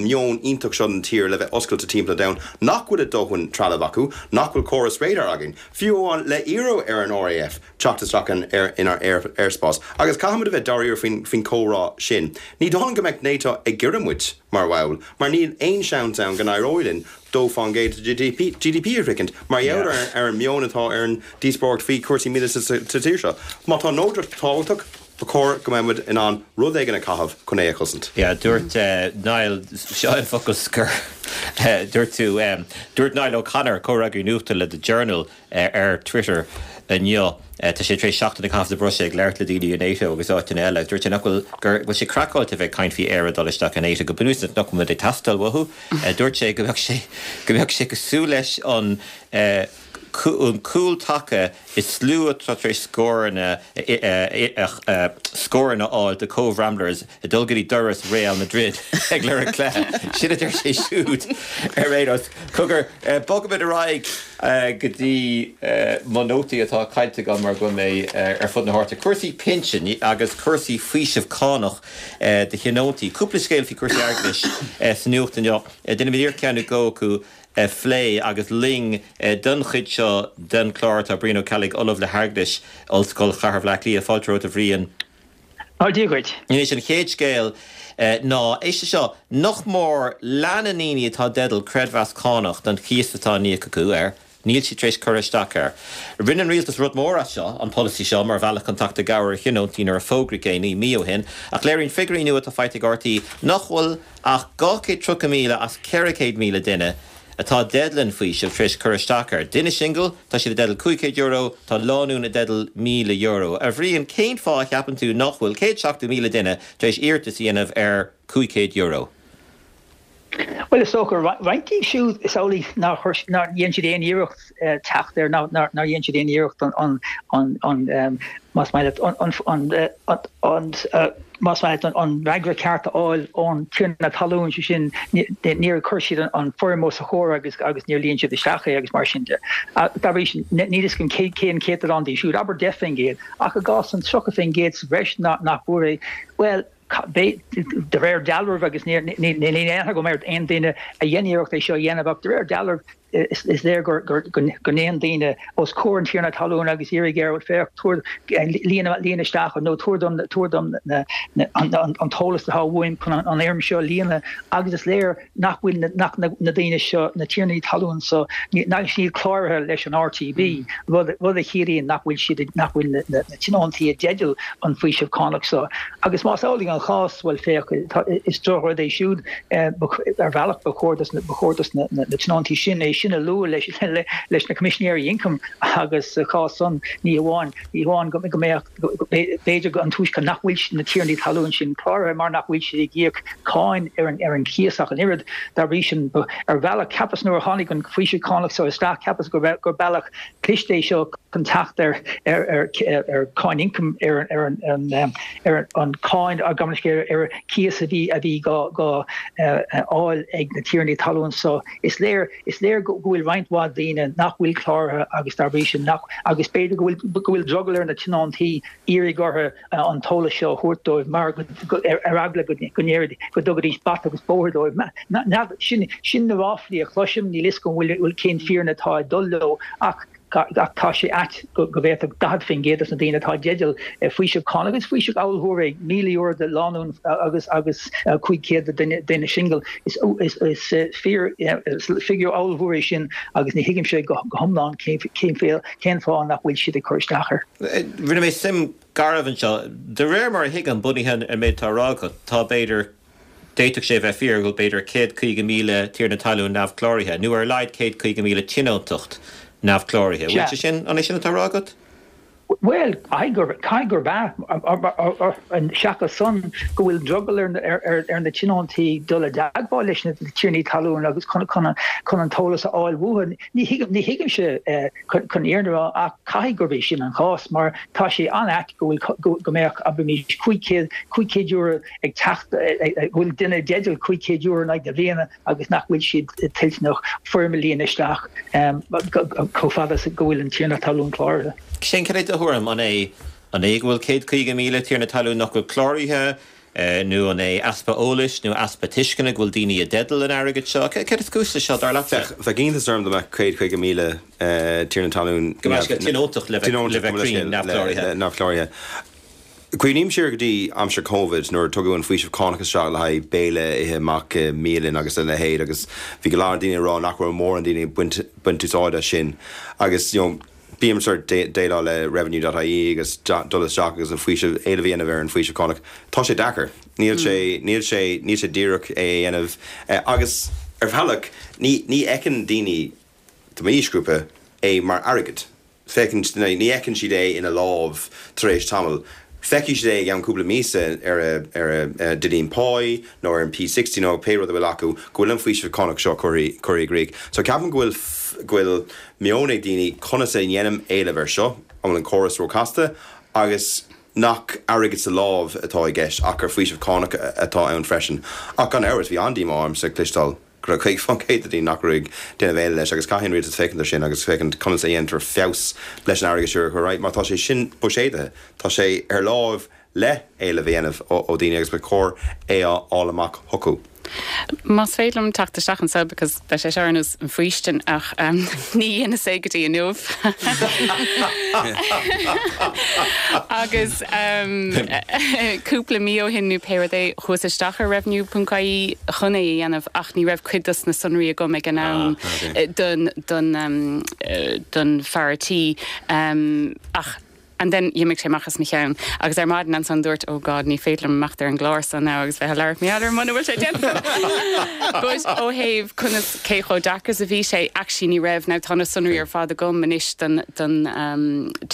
meon iontach seo don tír le bheith oscailte timpeall an domhain, nach bhfuil a dóthain trealaimh acu, nach bhfuil córas radar againn, fiú amháin le iarraidh ar an RAF teacht isteach inár aerspás. Agus caithfimid a bheith dáiríre faoin chomhrá sin. Ní dóigh liom go mbeadh NATO ag iarraidh muid mar bhall, mar níl aon seans ann go n-éireoidh linn 2% de GDP a shroichint, mar gheall ar an meon atá ar an díospóireacht faoi chúrsaí míleata sa tír seo. Má tá neodracht tábhachtach, ba chóir go mbeadh muid in ann rud éigin a chaitheamh chun é a chosaint. Yeah, dúirt Niall, seo an focal scoir, dúirt tú, dúirt Niall O'Connor, comhfhreagraí nuachta le The Journal, ar Twitter inniu. Tá sé tar éis seachtain a chaitheamh sa Bhruiséil ag labhairt le daoine i NATO agus áiteanna eile. Dúirt sé nach bhfuil, gur bhfuil sé craiceáilte a bheith ag caint faoi Éire dul isteach i NATO, go bunúsach nach bhfuil muid ag teastáil uathu. Dúirt sé go mbeadh sé, go mbeadh sé cosúil leis an an cúl taca is slua atá tar éis scóranna scóranna a fháil do Cobh Ramblers ag dul go dtí doras Real Madrid ag lorg cluiche. Sin a deir sé siúd ar aon nós. Cogar, bogfaimid ar aghaidh go dtí mo nótaí atá caillte agam mar go bhfuil mé ar fud na háite. Cúrsaí pinsin agus cúrsaí faoiseamh cánach do thionóntaí. Cúpla scéal faoi chúrsaí airgeadais sa nuacht inniu. Déanfaimid iarracht ceann nó dhó acu a phlé agus linn don chuid seo den chlár tá Brian Ó Ceallaigh, Ollamh le hAirgeadas, Ollscoil Chathair Bhaile Átha Cliath. Fáilte romhat a Bhriain. Tá Dia dhuit. Anois an chéad scéal ná, éist leis seo, nach mór leath na ndaoine atá i dteideal creidmheas cánach don chíos atá á n-íoc acu air, níl siad tar éis cur isteach air. Rinne an rialtas rud mór as seo, an polasaí seo, mar bhealach chun teacht i gcabhair ar thionóntaí nuair a fógraíodh é 9 mí ó shin, ach léiríonn figiúirí nua atá faighte ag RTÉ nach bhfuil ach 230,000 as 400,000 duine atá i dteideal an faoisimh tar éis cur isteach air. Duine singil, tá siad i dteideal €500, tá lánúin i dteideal €1,000. A Bhriain, cén fáth a cheapann tú nach bhfuil 170,000 duine tar éis iarratas a dhéanamh ar €500? Bhuel, is dócha, roinnt díobh siúd, is amhlaidh nár chuir, nár dhein siad aon iarracht teacht air, nár dhein siad aon iarracht an, an, an, más maith leat, an, an, an, más maith leat, an fhreagra ceart a fháil ón tiarna talún, sé sin, níor chuir siad an foirm os a chomhair agus agus níor líon siad isteach é agus mar sin de. Dá bhrí sin, níl fhios agam cé cén céatadán díobh siúd, abair 10%, ach i gcás an 30% sa bhreis nach bhfuair é, bhuel, de réir dealraimh, agus níl aon aithne agam ar aon duine a dhein iarracht é seo a dhéanamh, ach de réir dealraimh. Is léir go dtéann daoine os comhair an tiarna talún agus iarraidh air, féach, tabhair, líon, líon isteach nó tabhair dom, tabhair dom an t-eolas atá uaim chun an fhoirm seo a líonadh agus is léir nach bhfuil na, nach na daoine seo, na tiarnaí talún so, nach siad cláraithe leis an RTB, rud, rud a chiallaíonn nach bhfuil siad, nach bhfuil na, na tionóntaí i dteideal an faoiseamh cánach so. Agus más amhlaidh an chás, bhuel féach, tá, is drochrud é siúd, ar bhealach ba chóir dos na, ba chóir dos na, na tionóntaí sin é sin a lua leis, leis na Coimisinéirí Ioncaim agus sa chás san ní hamháin, ní hamháin go, go mbeadh, B'fhéidir go an toisc nach bhfuil na tiarnaí talún sin cláraithe mar nach bhfuil siad ag íoc cáin ar an ar an chíos ach an oiread. Dá bhrí sin, ar bhealach, cheapas nuair a tháinig an faoiseamh cánach seo isteach, cheapas go raibh gur bealach cliste é seo chun teacht ar ar ar ar cáin ioncaim ar ar an ar an cáin gabh mo leithscéal ar cíos a bhí a bhí dhá dhá fháil ag na tiarnaí talún so. Is léir Is léir go bhfuil roinnt mhaith daoine nach bhfuil cláraithe agus dá bhrí sin nach, agus b'fhéidir go bhfuil, go bhfuil drogall ar na tionóntaí iarraidh orthu an t-eolas seo a thabhairt dóibh mar go, ar eagla go ndéarfaidís, go dtugaidís bata agus bóthar dóibh. N'fheadar, sin, sin na ráflaí a chloisim, níl 'fhios agam an bhfuil, cén fírinne atá ag dul leo ach, ach tá sé ait go bhféadfadh 40% de na daoine atá i dteideal faoiseamh cánach, is faoiseamh ollmhór é, €1,000 do lánúin agus agus 500 do duine singil. Is fíor, is figiúr ollmhór é sin agus ní thuigimse go hiomlán cén fáth nach bhfuil siad ag cur isteach air. Rinne mé suim garbh anseo. De réir mar a thuigim, bunaithe ar an méid atá á rá agat, tá b'fhéidir D'fhéadfadh sé a bheith fíor go bhfuil b'fhéidir 150,000 tiarna talún neamhchláraithe, nó ar a laghad 150,000 tionóntacht neamhchláraithe. An bhfuil sé sin, an é sin atá á rá agat? Bhuel, caithfidh gurb, caithfidh gurb ea, seachas san, go bhfuil drogall ar ar na tionóntaí dul i dteagmháil leis na tiarnaí talún agus chun chun chun an t-eolas a fháil uathu. Ní thuigim, ní thuigimse chun an fhírinne a rá ach caithfidh gurb é sin an chás mar tá sé an-ait go bhfuil, go mbeadh, abraimis, €500, €500 ag teacht, go bhfuil duine i dteideal €500 in aghaidh na bliana agus nach bhfuil siad toilteanach foirm a líonadh isteach chomh fada is go bhfuil an tiarna talún cláraithe. Shane, cad é do thuairim? An é an é go bhfuil 150,000 tiarna talún nach bhfuil cláraithe nó an é easpa eolais nó easpa tuisceana go bhfuil daoine i dteideal an airgid seo? Céard is cúis leis seo, dar leatsa? Bheadh iontas orm dá mbeadh 150,000 tiarna talún Gabh mo leithscéal, tionóntacht le bheith cruinn, neamhchláraithe. neamhchláraithe. Cuimhním siar go dtí aimsir Covid nuair a tugadh an faoiseamh cánach isteach le haghaidh béile a ithe amach i mbialann agus a leithéid agus bhí go leor daoine ag rá nach raibh mórán daoine ag baint baint úsáid as sin agus you know bím sort déileáil le revenue dot ie agus dul isteach agus an faoiseamh éileamh a dhéanamh ar an faoiseamh cánach. Tá sé deacair. Níl sé níl sé níl sé díreach é a dhéanamh agus ar bhealach ní ní fheiceann daoine de m'aoisghrúpa é mar airgead. Féachann, ní fheiceann siad é ina lámh tar éis tamaill. Feicfidh siad é i gceann cúpla míosa ar a ar a duillín páí nó ar an P60 nó pé rud a bhfuil acu go bhfuil an faoiseamh cánach seo curtha curtha i gcrích. So ceapaim go bhfuil go bhfuil meon ag daoine conas a dhéanaim éileamh air seo, an bhfuil an córas róchasta agus nach airgead sa lámh atá i gceist ach gur faoiseamh cánach atá ann freisin. Ach gan amhras bhí an-díomá ormsa cloisteáil go raibh 50% de daoine nach raibh ag déanamh éileamh leis agus caithfidh an rialtas féachaint air sin agus féachaint conas a dhéantar feabhas leis an airgead seo a chur ar aghaidh mar tá sé sin buiséadaithe, tá sé ar láimh le éileamh a dhéanamh ó dhaoine agus ba chóir é a fháil amach chucu. Más féidir liom teacht isteach anseo because beidh sé seo ar nós an faoistin ach ní dheineas é go dtí inniu agus cúpla mí ó shin nó pé rud é chuas isteach ar revenue ponc ie chun é a dhéanamh ach ní raibh cuid dos na sonraí agam ag an am don don don fear tí ach and then d'imigh sé amach as mo cheann agus ar maidin ansan dúirt oh God ní féidir liom imeacht ar an gclár so now agus bheith ag labhairt mar gheall air muna bhfuil sé déanta but ó thaobh conas cé chomh deacair is a bhí sé actually ní raibh now tá na sonraí ar fad agam anois don don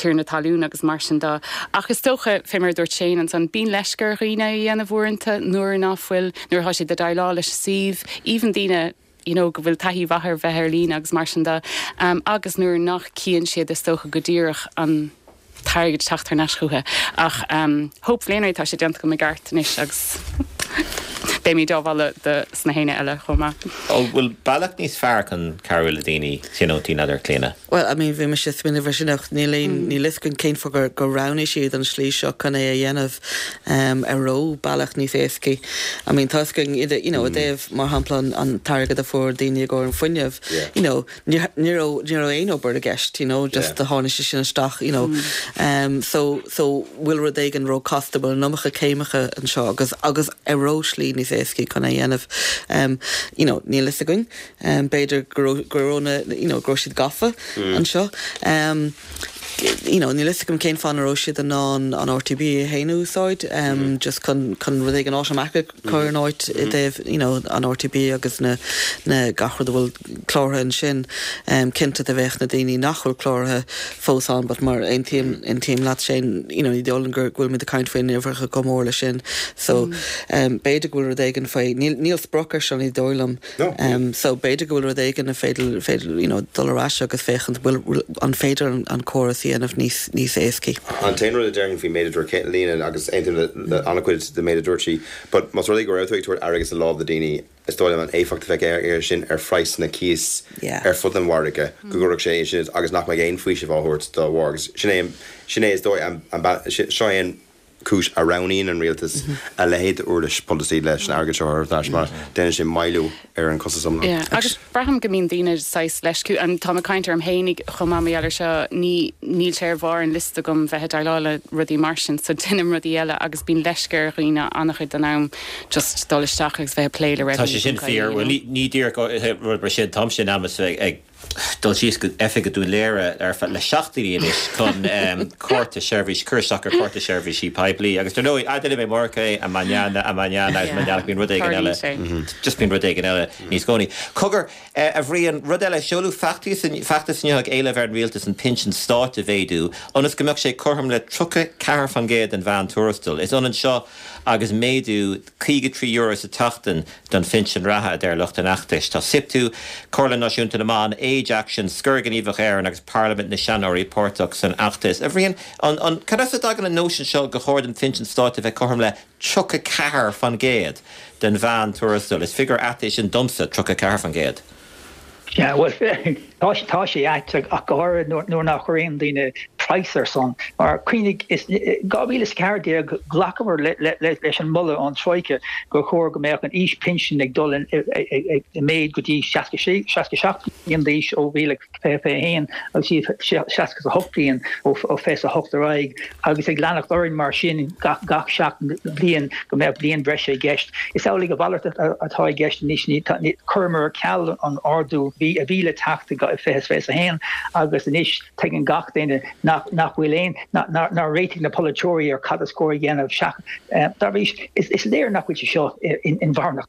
tiarna talún agus mar sin de ach is dócha fé mar a dúirt Shane ansan bíonn leisce ar dhaoine a dhéanamh uaireanta nuair ná fuil nuair atá siad ag déileáil leis an suíomh even daoine you know go bhfuil taithí mhaith ar bheith ar líne agus mar sin de agus nuair nach cíonn siad is dócha go díreach an t-airgead teacht thar n-ais chucu ach hopefully anyway tá sé déanta agam i gceart anois agus. Beimid á mholadh do sna héinne eile chomh maith. An bhfuil bealach níos fearr chun cabhrú le daoine tionóntaí, n'fheadar, Clíona? Bhuel, I mean, bhí mise ag smaoineamh ar sin ach níl aon, níl fhios againn cén fáth gur, gur roghnaigh siad an slí seo chun é a dhéanamh, an raibh bealach níos éascaí. I mean, tá fhios againn, you know, i dtaobh, mar shampla, an, an t-airgead a fuair daoine i gcomhair an fuinneamh, you know, Ní raibh, ní raibh aon obair i gceist, you know, just do tháinig sé sin isteach, you know. So, so bhfuil rud éigin ró-chasta, bhfuil an iomarca céimeacha anseo agus, agus an raibh slí níos éascaí chun é a dhéanamh. You know, níl fhios againn. B'fhéidir go raibh, go raibh na, you know, go raibh siad gafa anseo. You know, níl fhios agam cén fáth nach raibh siad in ann an RTB féin a úsáid, just chun, chun rud éigin automatic a chur in áit i dtaobh, you know, an RTB agus na, na, gach rud a bhfuil cláraithe ansin. Cinnte do bheadh na daoine nach bhfuil cláraithe fós ann but mar aontaím, aontaím leat Shane, you know, ní dóigh liom gur, go bhfuil muid ag caint faoi uimhreacha chomh mór leis sin. So, b'fhéidir go bhfuil rud éigin faoi, níl, níl sprioc ar seo ní dóigh liom. So b'fhéidir go bhfuil rud éigin a féidir, féidir, you know, dul ar ais agus féachaint bhfuil, an féidir an, an córas a dhéanamh níos, níos éascaí. An t-aon rud a déarfainn faoin méid a dúirt Clíona, agus aontaím le, le an-chuid den méid a dúirt sí, but más rud é go raibh tú ag tabhairt airgead sa lámh do daoine, is dóigh liom an éifeacht a bheadh air sin ar phraghsanna cíos ar fud an mhargaidh, go gcuirfeadh sé sin agus nach mbeidh aon faoiseamh á thabhairt dá bharr. Agus sin é, sin é is dóigh an, an, seo é an, cúis a roghnaíonn an rialtas a leithéid d'uirlis polasaí leis an airgead seo a thabhairt ar ais mar déanann sé moilliú ar an chostas iomlán. Yeah, agus braithim go mbíonn daoine saghas leisciúil, and táim ag caint orm fhéinig chomh maith mar gheall ar seo, ní, níl sé ar bharr an liosta agam bheith ag déileáil le rudaí mar sin, so déanaim rudaí eile agus bíonn leisce ar dhaoine an-chuid den am just dul isteach agus bheith ag plé le Tá sé sin fíor, bhuel ní, ní díreach rud mar sin, táimse in ainm is bheith ag. dul síos go oifig i Dún Laoghaire ar feadh le seachtainí anois chun cárta seirbhís, cur isteach ar chárta seirbhísí poiblí agus dar ndóigh, déanfaidh mé amárach é, mañana, mañana agus mañana bíonn rud éigin eile, just bíonn rud éigin eile níos cónaí. Cogar, a Bhriain, rud eile, seoladh feachtas feachtas inniu ag éileamh ar an rialtas an pinsean stáit a mhéadú ionas go mbeadh sé cothrom le 34% den mheán-tuarastal. Is ionann seo agus méadú €53 sa tseachtain don phinsean reatha, a deir lucht an fheachtais. Tá Siptu, Comhairle Náisiúnta na mBan, Age Action, Scor Gníomhach Éireann agus Parlaimint na Seanóirí páirteach san fheachtas. A Bhriain, an, cad as a dtagann an nóisean seo gur chóir don phinsean stáit a bheith cothrom le 34% den mheán-tuarastal? Is figiúr ait é sin domsa, 34%. Yeah, bhuel, tá, tá sé ait ach go háirithe nuair nach chuir aon duine praghas air san. Mar cuimhnigh, is 2014 ghlacamar leis an moladh ón Troika gur chóir go mbeadh an aois pinsin ag dul i méid go dtí 66, 67 bliain d'aois ó 2021 agus 68 bliain ó 28 ar aghaidh agus ag leanacht orainn mar sin gach gach 7 bliain go mbeadh bliain breise i gceist. Is amhlaidh a mhalairt atá i gceist anois, chuireamar ar ceal an ardú a bhí le teacht i 2021 agus anois tuigeann gach duine nach nach bhfuil aon, nár réitigh na polaiteoirí ar cad is cóir a dhéanamh. Dá bhrí sin, is léir nach bhfuil sé seo inmharthana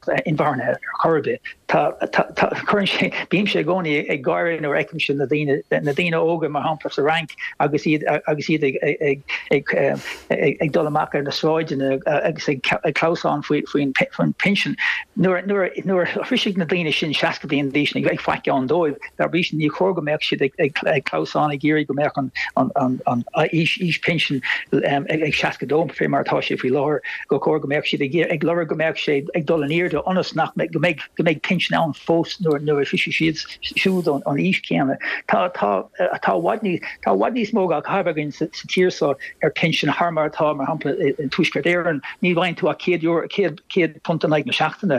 ar chor ar bith. Tá, tá, cuireann sé, bímse i gcónaí ag gáire nuair a fheicimse na daoine, na daoine óga mar shampla sa Fhrainc agus iad, agus iad ag, ag, ag, ag dul amach ar na sráideanna agus ag clamhsán faoi, faoin, faoin pinsean. Nuair, nuair, nuair a shroisfidh na daoine sin 60 bliain d'aois ní bheidh faic ann dóibh. Dá bhrí sin ní chóir go mbeadh siad ag, ag, ag clamhsán ag iarraidh go mbeadh an, an, an, an aois, aois pinsin ag 62 fé mar atá sé faoi láthair. gur chóir go mbeadh siad ag ag lorg go mbeadh sé ag dul in airde ionas nach mbeidh go mbeidh go mbeidh pinsean ann fós nuair nuair a shroisfidh siad siúd an aois chéanna. Tá tá tá i bhfad níos tá i bhfad níos mó á chaitheamh againn sa sa tír seo ar pinsean thar mar atá mar shampla i i Tuaisceart Éireann. Ní bhfaigheann tú ach €100 100 £100 in aghaidh na seachtaine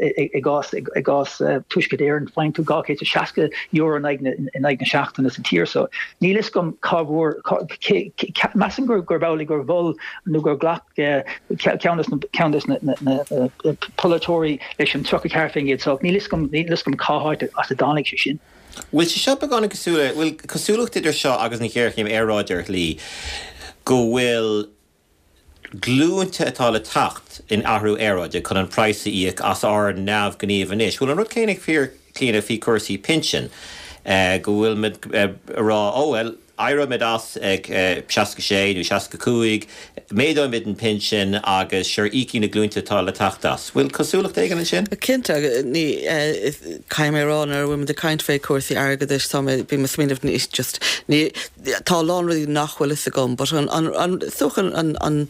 i i gcás i gcás Tuaisceart Éireann faigheann tú €260 in aghaidh na in aghaidh na seachtaine sa tír seo. Níl fhios agam cá bhfuair cá cé measaim gur gurb amhlaidh gur mhol nó gur ghlac ceann de na polaiteoirí leis an 34% so níl fhios agam, níl fhios agam cá háit as a dtáinig sé sin. Bhfuil sé seo beagán cosúil le, bhfuil cosúlacht idir seo agus an ghéarchéim aeráide ar shlí, go bhfuil glúinte atá le teacht in athrú aeráide chun an praghas a íoc as ár neamhghníomh anois? Bhfuil an rud céanna fíor, Clíona, faoi chúrsaí pinsin, go bhfuil muid ag rá, oh well, Éireoimid as ag 66 nó 65, méadóimid an pinsean agus sure íocfaidh na glúnta atá le teacht as. Bhfuil cosúlacht éigin ansin? Cinnte, ní, caithfidh mé a rá nuair a bhfuil muid ag caint fé chúrsaí airgeadais tá mé, bím ag smaoineamh ní, just, ní, tá a lán rudaí nach bhfuil fhios agam but an, an, an, is dócha an, an,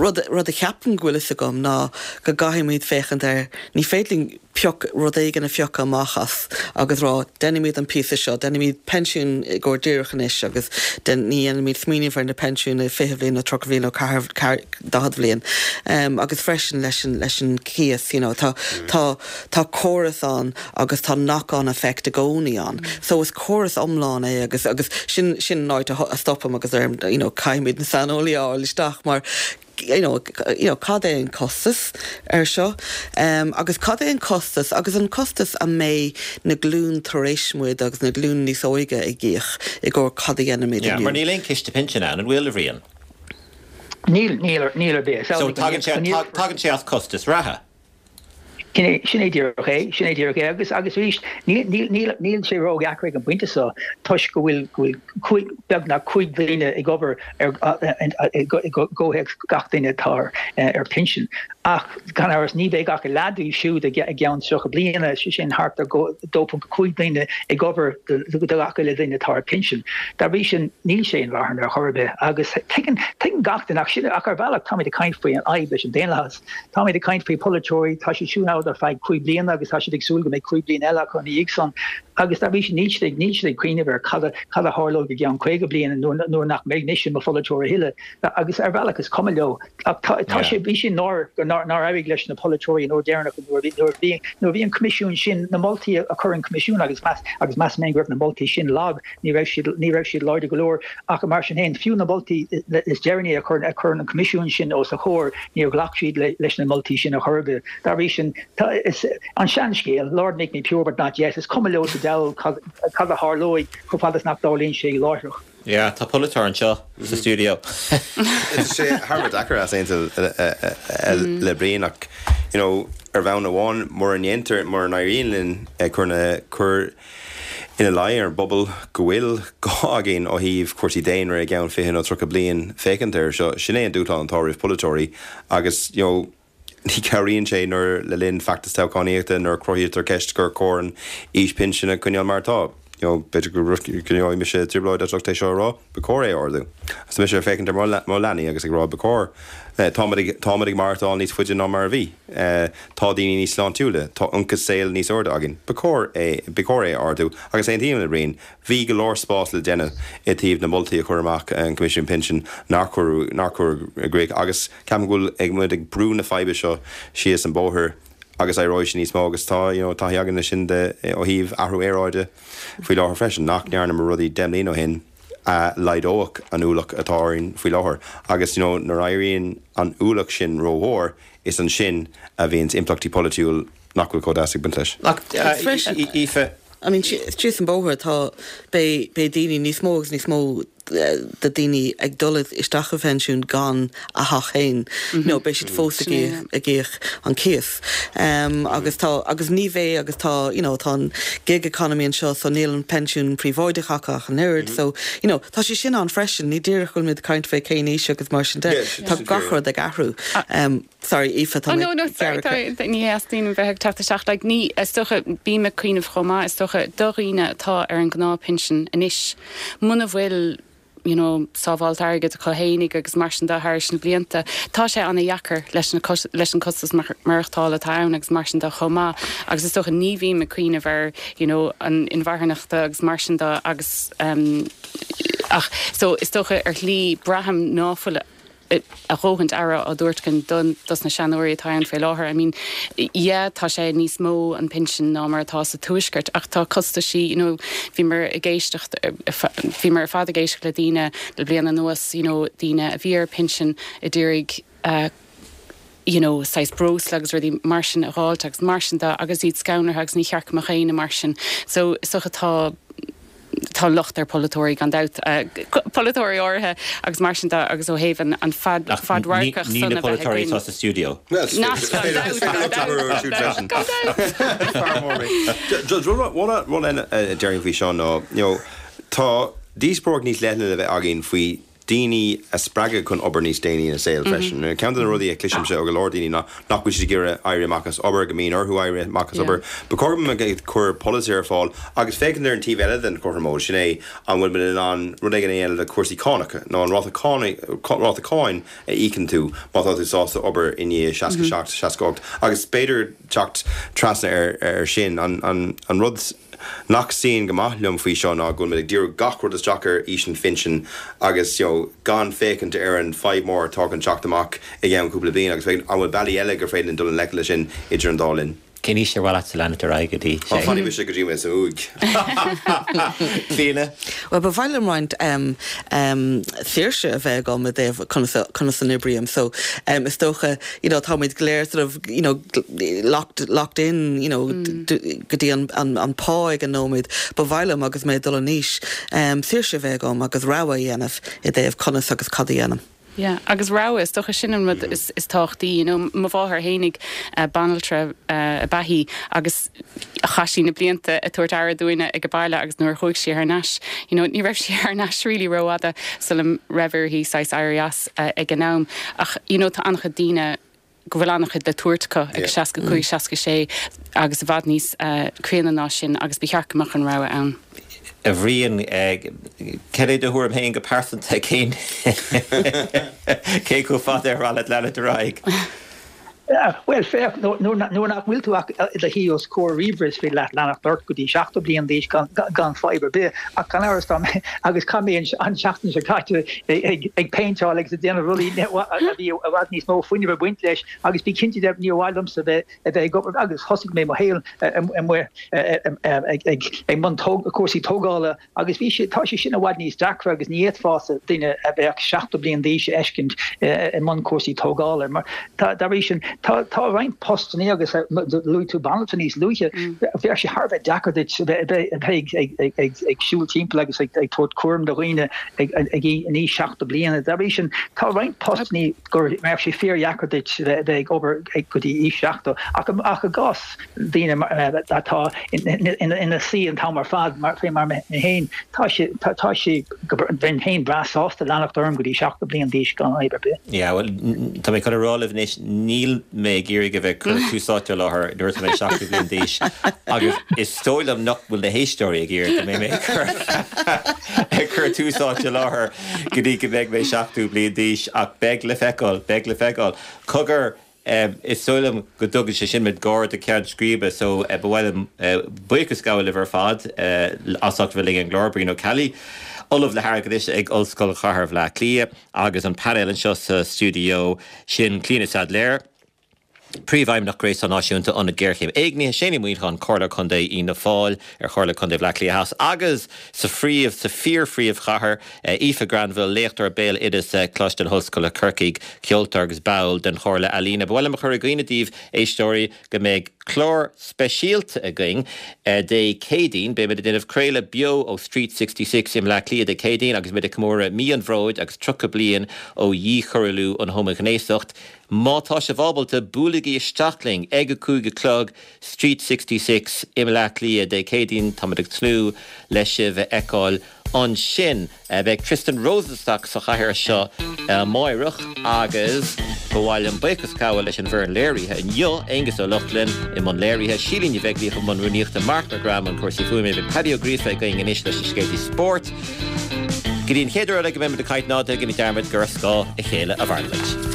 rud, rud a cheapaim go bhfuil fhios agam ná go gcaithfimid féachaint ar, ní féidir linn pioc, rud éigin a phiocadh amach as agus rá déanfaimid an píosa seo, déanfaimid pensiún i gcomhair díreach anois agus ní dhéanfaimid smaoineamh ar na pensiúin i 20 bhliain nó 30 bhliain nó 40 bhliain. Agus freisin leis an, leis an cíos, you know, tá, tá, tá córas ann agus tá knock-on effect i gcónaí ann. So is córas iomlán é agus, agus sin, sin an áit a stopaim agus deirim, you know, caithfimid na saineolaí a fháil isteach mar you know, you know, cad é an costas ar seo agus cad é an costas agus an costas a mbeidh na glúin tar éis muid agus na glúin níos óige ag íoc i gcomhair cad a dhéanaimid Yeah, mar inniu. níl aon ciste pinsin ann, an bhfuil, a Bhriain? Níl, níl, níl ar bith. So tagann sé, tagann sé as costas reatha. Sin é, sin é díreach é, sin é díreach é. Agus, agus arís, níl, níl, níl, níl sé ródheacair ag an bpointe seo toisc go bhfuil, go bhfuil cúig, beagnach 5 duine ag obair ar, i gcomhthéacs gach duine atá ar, ar pinsean. Ach gan amhras ní bheidh ach a leath díobh siúd i gceann 30 bliana, sé sin thart ar 2.5 duine ag obair do, do gach uile duine atá ar pinsean. Dá bhrí sin, níl sé inmharthana ar chor ar bith. Agus tuigeann, tuigeann gach duine, ach sin, ach ar bhealach táimid ag caint faoi an fhadhb leis an daonlathas. Táimid ag caint faoi pholaiteoirí, tá siad siúd ann ar feadh 5 bliana agus tá siad ag súil go mbeidh 5 bliana eile acu ina dhiaidh san agus dá bhrí sin níl siad ag níl siad ag cuimhneamh ar cad a cad a tharlóidh i gceann 50 bliain nuair nuair nach mbeidh mise i mo pholaiteoir a thuilleadh agus ar bhealach is cuma leo. Ach tá tá sé bhí sé náireach go nár nár éirigh leis na polaiteoirí an uair deireanach nuair a bhí nuair a bhí nuair a bhí an coimisiún sin na moltaí a chuir an coimisiún agus meas agus measaim féin go raibh na moltaí sin lag Ní raibh siad, ní raibh siad láidir go leor ach mar sin féin, fiú na moltaí is deireanaí a chuir, a chuir an Coimisiún sin os a chomhair, níor ghlac siad leis na moltaí sin ar chor ar bith. Dá bhrí sin, tá, is an seanscéal, Lord make me pure but not yet, is cuma leo sa diabhal cad, cad a tharlóidh chomh fada is nach dtarlaíonn sé láithreach. Yeah, tá polaiteoir anseo sa stiúideo. Tá sé thar a bheith deacair easaontú le Brian ach, you know, ar bhonn amháin, mura ndéantar, mura n-éiríonn linn cur na, cur ina luí ar an bpobal go bhfuil gá againn ó thaobh cúrsaí daonra i gceann 20 nó 30 bliain féachaint air seo. Sin é an dúshlán atá roimh polaiteoirí agus you know ní chabhraíonn sé nuair le linn feachtas toghchánaíochta nuair a cruthaítear ceist gur chóir an aois pinsin a choinneáil mar atá. You know b'fhéidir go gcoinneoidh mise trioblóid as ucht é seo a rá, ba chóir é a ardú. Agus tá mise ag féachaint ar mo leanaí agus ag rá ba chóir, táimid ag táimid ag maireachtáil níos faide ná mar a bhí. Tá daoine níos sláintiúla, tá ionchas saoil níos airde againn. Ba chóir é, ba chóir é a ardú. Agus aontaím le Brian, bhí go leor spás le déanamh i dtaobh na moltaí a chuir amach an Coimisiún Pinsean nár cuireadh, nár cuireadh i gcrích. Agus ceapaim go bhfuil ag muid ag brú na faidhbe seo síos an bóthar agus éireoidh sé níos mó agus tá, you know, taithí againn leis sin de, ó thaobh athrú aeráide faoi láthair freisin, nach ndearnamar rudaí 10 mbliana ó shin a laghdódh an ualach atá orainn faoi láthair. Agus, you know, nuair a éiríonn an ualach sin rómhór, Is ansin a bhíonns impleachtaí polaitiúil nach bhfuil chomh deas ag baint leis. Ach, Aoife. I mean, síos an bóthar tá, beidh, beidh daoine, níos mó agus níos mó de daoine ag dul isteach i bphensiún gan a theach féin. You know, beidh siad fós ag íoc, ag íoc an cíos. Agus tá, agus ní bheidh, agus tá, you know, tá an gig economy anseo so níl an pensiún príobháideach acu ach an oiread. So, you know, tá sé sin ann freisin, ní díreach go bhfuil muid ag caint fé cén aois agus mar sin de. Tá gach rud ag athrú. Sorry, Aoife, tá mé Oh no, no, sorry, tá, ní theastaíonn bheith ag teacht isteach. Like, ní, is dócha, bím ag cuimhneamh chomh maith, is dócha, do dhaoine atá ar an ngnáthphinsean anois, muna bhfuil, you know, sábháilt airgid acu fhéinig agus mar sin de thairis na blianta, tá sé ana-dheacair leis na, leis an costas maireachtála atá ann agus mar sin de chomh maith. Agus is dócha ní bhím ag cuimhneamh ar, you know, an inmharthanachta agus mar sin de agus, um, ach, so, is dócha ar shlí braithim ná fuil a dhóthaint aire á dtabhairt againn don, dos na seanóirí atá ann fé láthair. I mean, yeah, tá sé níos mó an pinsean ná mar atá sa Tuaisceart ach tá costaisí, you know, bhíomar ag éisteacht, bhíomar ar fad ag éisteacht le daoine le bliain anuas, you know, daoine a bhí ar pinsean a d'iarraidh, eh, you know, saghas breosla agus rudaí mar sin a dh'fháilt agus mar sin de agus iad scanraithe agus ní cheart go mbeadh éinne mar sin. So, is dócha tá, tá locht ar polaiteoirí gan dabht, polaiteoirí áirithe agus mar sin de agus ó thaobh an, an fad, fadradharcach Ní san na a bheith polaiteoirí againn. atá sa stiúideo. Gan dabht, gan dabht, gan dabht. Rud eile a déarfainn faoi seo ná, you know, tá. díospóireacht níos leithne le bheith againn faoi daoine a spreagadh chun obair níos déanaí ina saol freisin. Ceann de na rudaí a chloisimse ó go leor daoine ná nach bhfuil siad ag iarraidh éirí amach as obair, go mbíonn orthu éirí amach as obair. Ba chóir go mbeadh ag cur polasaí ar fáil agus féachaint ar an taobh eile den chothromóid, sin é an bhfuil muid in ann rud éigin a dhéanamh le cúrsaí cánach nó an ráta ráta cáin a íocann tú má tá tú sásta obair i ndiaidh 67, 68 agus b'fhéidir teacht trasna ar sin. An rud nach suíonn go maith liom faoi seo ná go bhfuil muid ag díriú gach rud isteach ar aois an phinsin agus you know gan féachaint ar an fadhb mór atá chun teacht amach i gceann cúpla bliain agus féachaint an bhfuil bealaí eile gur féidir linn dul i ngleic leis sin idir an dá linn. Cén aois ar mhaith leatsa leanacht ar aghaidh go dtí? Ó, fanfaidh mise go dtí mé san uaigh. Clíona? Bhuel, ba mhaith liom roinnt saoirse a bheith agam i dtaobh conas a, conas a n-oibrím. So, is dócha, you know, táimid go léir sort of, you know, locked, locked in, you know, go dtí an, an, an pá ag an nóiméad. Ba mhaith liom, agus mé ag dul in aois, saoirse a bheith agam agus rogha a dhéanamh i dtaobh conas agus cad a dhéanaim. Yeah, agus rogha, is dócha sin an rud is tábhachtaí, you know, mo mháthair fhéinig, banaltra ab ea í agus chaith sí na blianta ag tabhairt aire dúinne ag an baile agus nuair a chuaigh sí thar n-ais, you know, ní raibh sí thar n-ais really rófhada sula raibh uirthi saghas éirí as ag an am. Ach, you know, tá an-chuid daoine go bhfuil an-chuid le tabhairt acu ag 65, 66 agus i bhfad níos críonna ná sin agus ba cheart go mbeadh an rogha ann. A Bhriain, cad é do thuairim féin go pearsanta, cén cé chomh fada ar mhaith leat leanacht ar aghaidh? Bhuel, féach, nuair nach bhfuil tú ach i do shuí os comhair ríomhaire is féidir leat leanacht ort go dtí 70 bliain d'aois gan fadhb ar bith ach gan amhras dá agus chaith mé an tseachtain seo caite ag péinteáil agus ag déanamh rudaí a bhí i bhfad níos mó fuinnimh ag baint leis agus bí cinnte de níor mhaith liomsa bheith a bheith ag obair agus thosaigh mé mo shaol amuigh ag mbun cúrsaí tógála agus bhí sé, tá sé sin i bhfad níos deacra agus ní fhéadfása duine a bheadh 70 bliain d'aois a fheiscint i mbun cúrsaí tógála. Mar tá, dá bhrí sin, tá, tá roinnt postannaí agus luaigh tú banaltra níos luaithe, bheadh sé thar a bheith deacair duit a bheith ag siúl timpeall agus ag tabhairt cúram do dhaoine ag in aois 70 bliana. Dá bhrí sin, tá roinnt postannaí go mbeadh sé fíordheacair duit a bheith ag obair go dtí aois 70 ach ach i gcás daoine atá ina suí an t-am ar fad, mar fé mar mé féin, tá sé, tá sé, bheinn féin breá sásta leanacht orm go dtí 70 bliain d'aois gan fhadhb ar bith. Yeah, bhuel, tá mé chun a rá libh anois, níl mé ag iarraidh a bheith ag cur Tús Áite i láthair nuair atá mé 70 bliain d'aois agus is dóigh liom nach bhfuil na héisteoirí ag iarraidh go mbeidh mé ag cur ag cur Tús Áite i láthair go dtí go mbeidh mé 70 bliain d'aois ach beidh le feiceáil, beidh le feiceáil. Cogar, Is dóigh liom go dtugann sé sin muid gar do cheann scríbe so ba mhaith liom buíochas a ghabháil libh ar fad as ucht a bheith linn ar an gclár, Brian Ó Ceallaigh, Ollamh le hAirgeadas ag Ollscoil Chathair Bhaile Átha Cliath agus an painéal anseo sa stiúideo sin, Clíona Saidléar, Príomhfheidhmeannach Gréasán Náisiúnta Ionad Géarchéim Éignithe, Shane Uí Mhuineacháin, Comhairleoir Contae Fhianna Fáil ar Chomhairle Contae Bhaile Átha Cliath Theas agus sa phríomh, sa fíor-phríomhchathair, Aoife Granville, léachtóir béaloideasa, Coláiste na hOllscoile Corcaigh, ceoltóir agus ball den Chomhairle Ealaíne. Ba mhaith liom a chur i gcuimhne daoibh, éisteoirí, go mbeidh clár speisialta againn Dé Céadaoin. Beimid ag déanamh craoladh beo ó Street 66 i mBleá Cliath Dé Céadaoin agus muid ag comóradh Mí an Bhróid agus 30 bliain ó dhíchoiriúlú an homaighnéasacht. Má tá sibh ábalta, buailigí isteach linn ag a 5 a chlog, Street 66 i mBleá Cliath Dé Céadaoin. Táimid ag tnúth le sibh a fheiceáil ansin. Beidh Tristan Rosenstock sa chathaoir seo amáireach agus ba mhaith liom buíochas a ghabháil leis an bhfoireann léirithe inniu, Aengus Ó Lochlainn i mbun léirithe, Síle Ní Bheaglaoich i mbun rúnaíochta, Marc Mac Graith i mbun cúrsaí fuaime. Beidh Paddy Ó Gríofa againn anois leis na scéaltaí spóirt. Go dtí an chéad uair eile go mbeimid ag caint ná déanaigí dearmad gur ar scáth a chéile a mhairimid.